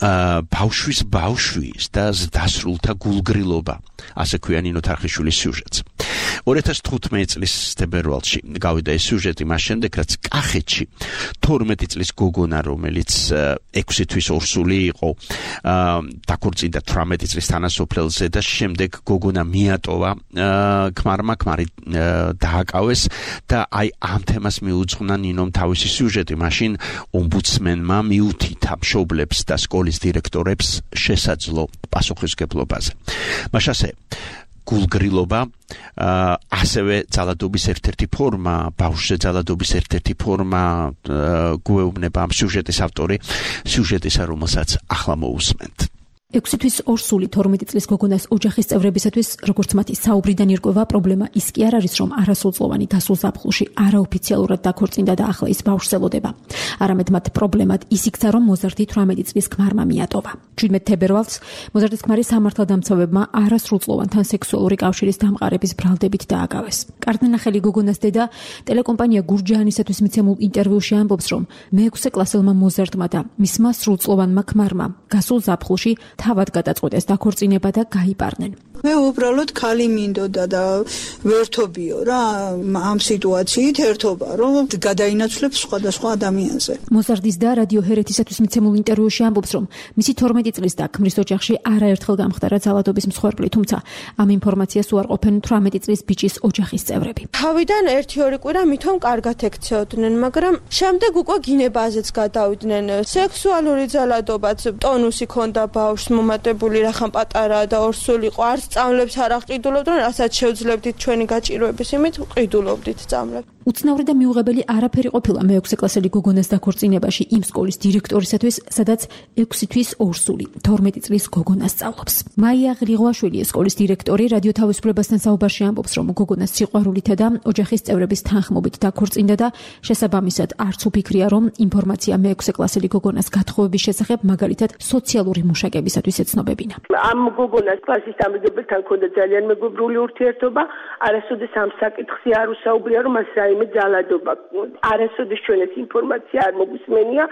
ბავშვის და ზრდასრულთა გულგრილობა, ასე ქვია ნინო თარხნიშვილის სიუჟეტს. 2015 წლის თებერვალში გავიდა ეს სიუჟეტი მას შემდეგ, რაც კახეთში 12 წლის გოგონა, რომელიც 6 თვის ორსული იყო, დაქორწინდა 18 წლის თანასოფლელზე და შემდეგ გოგონა მიატოვა ქმარმა, ქმარი დააკავეს და აი ამ თემას მიუძღვნა ნინომ თავისი სიუჟეტი. მაშინ ომბუდსმენმა მიუთითა მშობლებს და სკოლის დირექტორებს შესაძლო პასუხისმგებლობაზე. მაშასე გულგრილობა ასევე ძალადობის ერთ-ერთი ფორმა, ბავშვზე ძალადობის ერთ-ერთი ფორმა, გვეუბნება ამ სიუჟეტის ავტორი, სიუჟეტისა, რომელსაც ახლა მოусმენთ. 6 თვის ორსული 12 წლის გოგონას ოჯახის წევრებისათვის, როგორც მათი საუბრიდან ირკვევა, პრობლემა ის კი არ არის, რომ არასრულწლოვანი გასულ ზაფხულში არაოფიციალურად დაქორწინდა და ახლა ის ბავშვს ელოდება. არამედ მათ პრობლემად ის იქცა, რომ მოზარდი 18 წლის ქმარმა მიატოვა. 17 თებერვალს მოზარდის ქმარი სამართალდამცავებმა არასრულწლოვანთან სექსუალური კავშირის დამყარების ბრალდებით დააკავეს. კარდნახელი გოგონას დედა ტელეკომპანია გურჯაანისათვის მიცემულ ინტერვიუში ამბობს, რომ მე-6 კლასელმა მოზარდმა და მისმა სრულწლოვანმა ქმარმა გასულ ზაფხულში თავად გადაწყვეტეს დაქორწინება და გაიპარნენ. მე უბრალოდ ქალი მინდოდა და ვერთობიო რა ამ სიტუაციით ერთობა, რომ გადაინაცვლებს სხვადასხვა ადამიანზე. მოზარდის და რადიო ჰერეთისათვის მიცემულ ინტერვიუში ამბობს, რომ მისი 12 წლის და ქმრის ოჯახში არაერთხელ გამხდარა ძალადობის მსხვერპლი, თუმცა ამ ინფორმაციას უარყოფენ 18 წლის ბიჭის ოჯახის წევრები. თავიდან 1-2 კვირა მithom კარგად ექცეოდნენ, მაგრამ შემდეგ უკვე გინებაზეც გადავიდნენ. სექსუალური ძალადობაც ტონუსი ქონდა ბავშვს მომატებული, რახან პატარაა და ორსული იყო, არც სწავლებს არ აყიდულობდნენ, რასაც შევძლებდით ჩვენი გაჭირვების იმით, ყიდულობდით სწავლებს. უცნაური და მიუღებელი არაფერი ყოფილა მე-6 კლასელი გოგონას დაქორწინებაში იმ სკოლის დირექტორისათვის, სადაც 6 თვის ორსული 12 წლის გოგონა სწავლობს. მაია ღრიღვაშვილი, სკოლის დირექტორი, რადიო თავისუფლებასთან საუბარში ამბობს, რომ გოგონა სიყვარულითა და ოჯახის წევრების თანხმობით დაქორწინდა და შესაბამისად არც უფიქრია, რომ ინფორმაცია მე-6 კლასელი გოგონას გათხოვების შესახებ, მაგალითად სოციალური მუშაკებისათვის ეცნობებინა. ამ გოგონას კლასის დამრიგებელთან ჰქონდა ძალიან მეგობრული ურთიერთობა, არასოდეს ამ საკითხზე არ უსაუბრია, რომ მას რაიმე ძალადობა. არასოდეს ჩვენ ეს ინფორმაცია არ მოგვისმენია.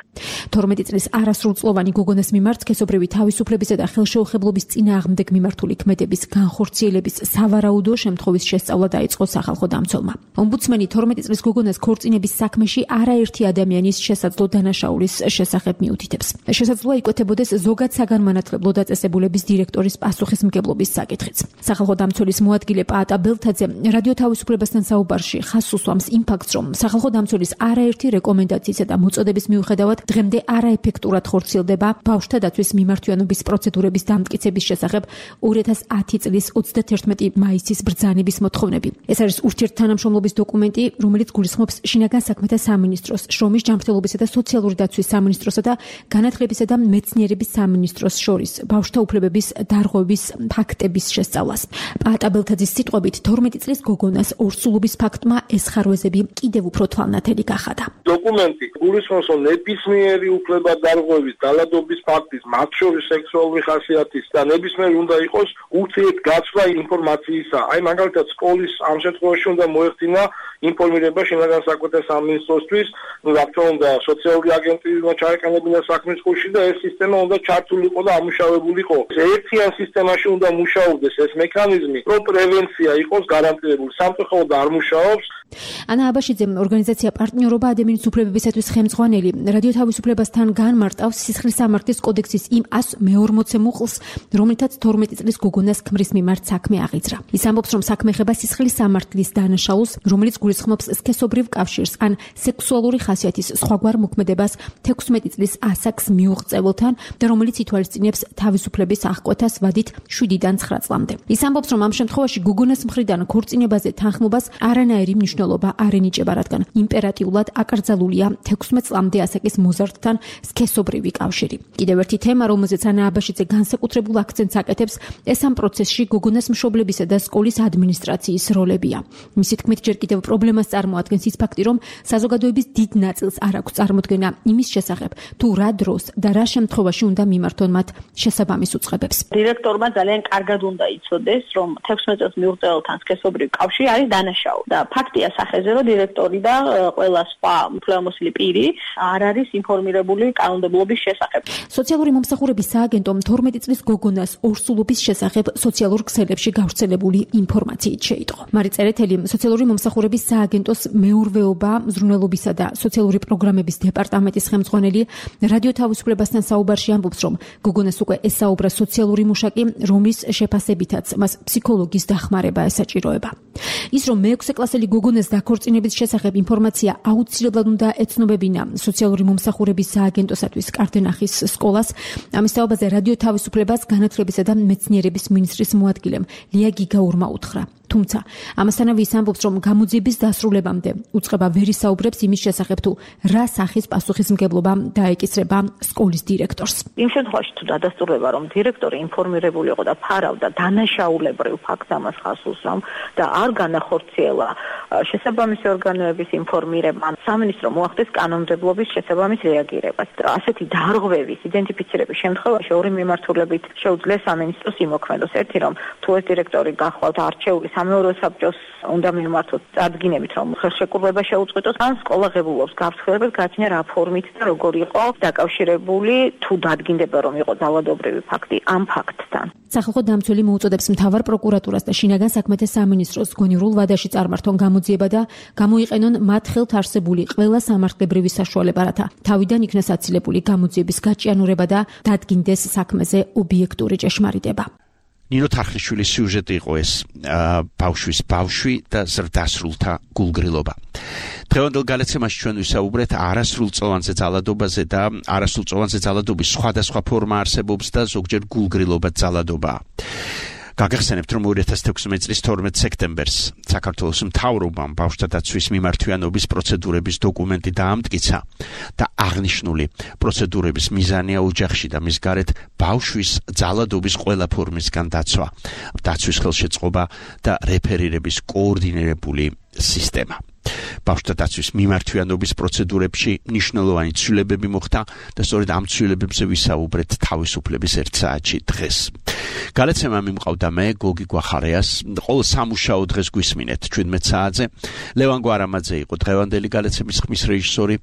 12 წლის არასრულწლოვანი გოგონას მიმართ სქესობრივი თავისუფლებისა და ხელშეუხებლობის წინააღმდეგ მიმართული ქმედების განხორციელების სავარაუდო შემთხვევის შესწავლა დაიწყო სახალხო დამცველმა. ომბუდსმენი 12 წლის გოგონას ქორწინების საქმეში არაერთი ადამიანის შესაძლო დანაშაულის შესახებ მიუთითებს. შესაძლოა იკვეთებოდეს ზოგად საგანმანათლებლო დაწესებულების დირექტორის პასუხისმგებლობის საკითხიც. სახალხო დამცველის მოადგილე პაატა ბელთაძე რადიო თავისუფლებასთან საუბარში ხაზს უსვამს იმ ფაქტს, რომ სახალხო დამცველის არაერთი რეკომენდაციისა და მოწოდების მიუხედავად დღემდე არაეფექტურად ხორციელდება ბავშვთა დაცვის მიმართვიანობის პროცედურების დამტკიცების შესახებ 2010 წლის 31 მაისის ბრძანების მოთხოვნები. ეს არის ურთიერთთანამშრომლობის დოკუმენტი, რომელიც გულისხმობს შინაგან საქმეთა სამინისტროს, შრომის ჯანმრთელობისა და სოციალური დაცვის სამინისტროსა და განათლებისა და მეცნიერების სამინისტროს შორის ბავშვთა უფლებების დარღვევის ფაქტების შესწავლას. პაატა ბელთაძის სიტყვებით 12 წლის გოგონას ორსულობის ფაქტმა ეს ხარვეზები კიდევ უფრო თვალნათელი გახადა. დოკუმენტი გულისხმობს, რომ ნებისმიერი უფლება დარღვევის, ძალადობის ფაქტის, მათ შორის სექსუალური ხასიათის და ნებისმიერი უნდა იყოს ურთიერთგაცვლა ინფორმაციისა. აი მაგალითად სკოლის ამ შემთხვევაში უნდა მოეხდინა ინფორმირება შინაგან საქმეთა სამინისტროსთვის, რა თქმა უნდა სოციალური აგენტები უნდა ჩაეყენებინა საქმის კურსში და ეს სისტემა უნდა ჩართულიყო და ამუშავებულიყო. ერთიან სისტემაში უნდა მუშაობდეს ეს მექანიზმი, რომ პრევენცია იყოს გარანტირებული. სამწუხაროდ არ მუშაობს. ანა აბაშიძე, ორგანიზაცია პარტნიორობა ადამიანის უფლებებისათვის ხელმძღვანელი, რადიო თავისუფლებას ცვლილებასთან განმარტავს სისხლის სამართლის კოდექსის იმ 140 მუხლს, რომლითაც 12 წლის გოგონას ქმრის მიმართ საქმე აღიძრა. ის ამბობს, რომ საქმე ეხება სისხლის სამართლის დანაშაულს, რომელიც გულისხმობს სქესობრივ კავშირს ან სექსუალური ხასიათის სხვაგვარ მოქმედებას 16 წლის ასაკს მიუღწევლთან და რომელიც ითვალისწინებს თავისუფლების აღკვეთას ვადით 7-დან 9 წლამდე. ის ამბობს, რომ ამ შემთხვევაში გოგონას მხრიდან ქორწინებაზე თანხმობას არანაირი მნიშვნელობა არ ენიჭება, რადგან იმპერატიულად აკრძალულია 16 წლამდე ასაკის მოზარდთან სქესობრივი კავშირი. კიდევ ერთი თემა, რომელზეც ანა აბაშიძე განსაკუთრებულ აქცენტს აკეთებს, ეს ამ პროცესში გოგონას მშობლებისა და სკოლის ადმინისტრაციის როლებია. მისი თქმით, ჯერ კიდევ პრობლემას წარმოადგენს ის ფაქტი, რომ საზოგადოების დიდ ნაწილს არ აქვს წარმოდგენა იმის შესახებ, თუ რა დროს და რა შემთხვევაში უნდა მიმართონ მათ შესაბამის უწყებებს. დირექტორმა ძალიან კარგად უნდა იცოდეს, რომ 16 წელს მიუღწეველთან სქესობრივი კავშირი არის დანაშაული და ფაქტია სახეზე, რომ დირექტორი და ყველა სხვა უფლებამოსილი პირი არ არის ინფორმირებული კანონმდებლობის შესახებ. სოციალური მომსახურების სააგენტომ 12 წლის გოგონას ორსულობის შესახებ სოციალურ ქსელებში გავრცელებული ინფორმაციით შეიტყო. მარი წერეთელი სოციალური მომსახურების სააგენტოს მეურვეობა, მზრუნველობისა და სოციალური პროგრამების დეპარტამენტის ხელმძღვანელი რადიო თავისუფლებასთან საუბარში ამბობს, რომ გოგონას უკვე ესაუბრა სოციალური მუშაკი, რომლის შეფასებითაც მას ფსიქოლოგის დახმარება ესაჭიროება. ის, რომ მე-6 კლასელი გოგონას დაქორწინების შესახებ ინფორმაცია აუცილებლად უნდა ეცნობებინა სოციალური მომსახურების სააგენტოსათვის კარდენახის სკოლას, ამის თაობაზე რადიო თავისუფლებას განათლებისა და მეცნიერების მინისტრის მოადგილემ ლია გიგაურმა უთხრა. თუმცა ამასთანავე ის ამბობს, რომ გამოძიების დასრულებამდე უწყება ვერ ისაუბრებს იმის შესახებ, თუ რა სახის პასუხისმგებლობა დაეკისრება სკოლის დირექტორს. იმ შემთხვევაში თუ დადასტურდება, რომ დირექტორი ინფორმირებული იყო და ფარავდა დანაშაულებრივ ფაქტს ამას ხასუს, რომ და არ განახორციელა შესაბამისი ორგანოების ინფორმირება, სამინისტრო მოახდეს კანონმდებლობის შესაბამის რეაგირებას. ასეთი დარღვევის იდენტიფიცირების შემთხვევაში ორი მიმართულებით შეუძლია სამინისტროს იმოქმედოს. ერთი, რომ თუ ეს დირექტორი გახვალთ არჩეული სამეურვეო საბჭოს უნდა მიმართოთ წარდგინებით, რომ ხელშეკრულება შეუწყვეტოს, ან სკოლა ღებულობს გაფრთხილებას გააჩინა რა ფორმით და როგორ იყო დაკავშირებული, თუ დადგინდება, რომ იყო ძალადობრივი ფაქტი ამ ფაქტთან. სახალხო დამცველი მოუწოდებს მთავარ პროკურატურას და შინაგან საქმეთა სამინისტროს გონივრულ ვადაში წარმართონ გამოძიება და გამოიყენონ მათ ხელთ არსებული ყველა სამართლებრივი საშუალება, რათა თავიდან იქნას აცილებული გამოძიების გაჭიანურება და დადგინდეს საქმეზე ობიექტური ჭეშმარიტება. ნინო თარხნიშვილის სიუჟეტი იყო ეს ბავშვის ბავშვი და ზრდასრულთა გულგრილობა. დღევანდელ გადაცემაში ჩვენ ვისაუბრეთ არასრულწლოვანზე ძალადობაზე და არასრულწლოვანზე ძალადობის სხვადასხვა ფორმა არსებობს და ზოგჯერ გულგრილობა ძალადობაა. გაგახსენებთ, რომ 2016 წლის 12 სექტემბერს საქართველოს მთავრობამ ბავშვთა დაცვის მიმართვიანობის პროცედურების დოკუმენტი დაამტკიცა და აღნიშნული პროცედურების მიზანია ოჯახში და მის გარეთ ბავშვის ძალადობის ყველა ფორმისგან დაცვა, დაცვის ხელშეწყობა და რეფერირების კოორდინირებული სისტემა. ბავშვთა დაცვის მიმართვიანობის პროცედურებში მნიშვნელოვანი ცვლილებები მოხდა და სწორედ ამ ცვლილებებზე ვისაუბრეთ თავისუფლების 1 საათში დღეს. გადაცემა მიმყავდა მე გოგი გვახარიას, ყოველ სამუშაო დღეს გვისმინეთ 17 საათზე. ლევან გვარამაძე იყო დღევანდელი გადაცემის ხმის რეჟისორი.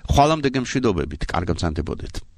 ხვალამდე გემშვიდობებით, კარგად მზადდებოდეთ.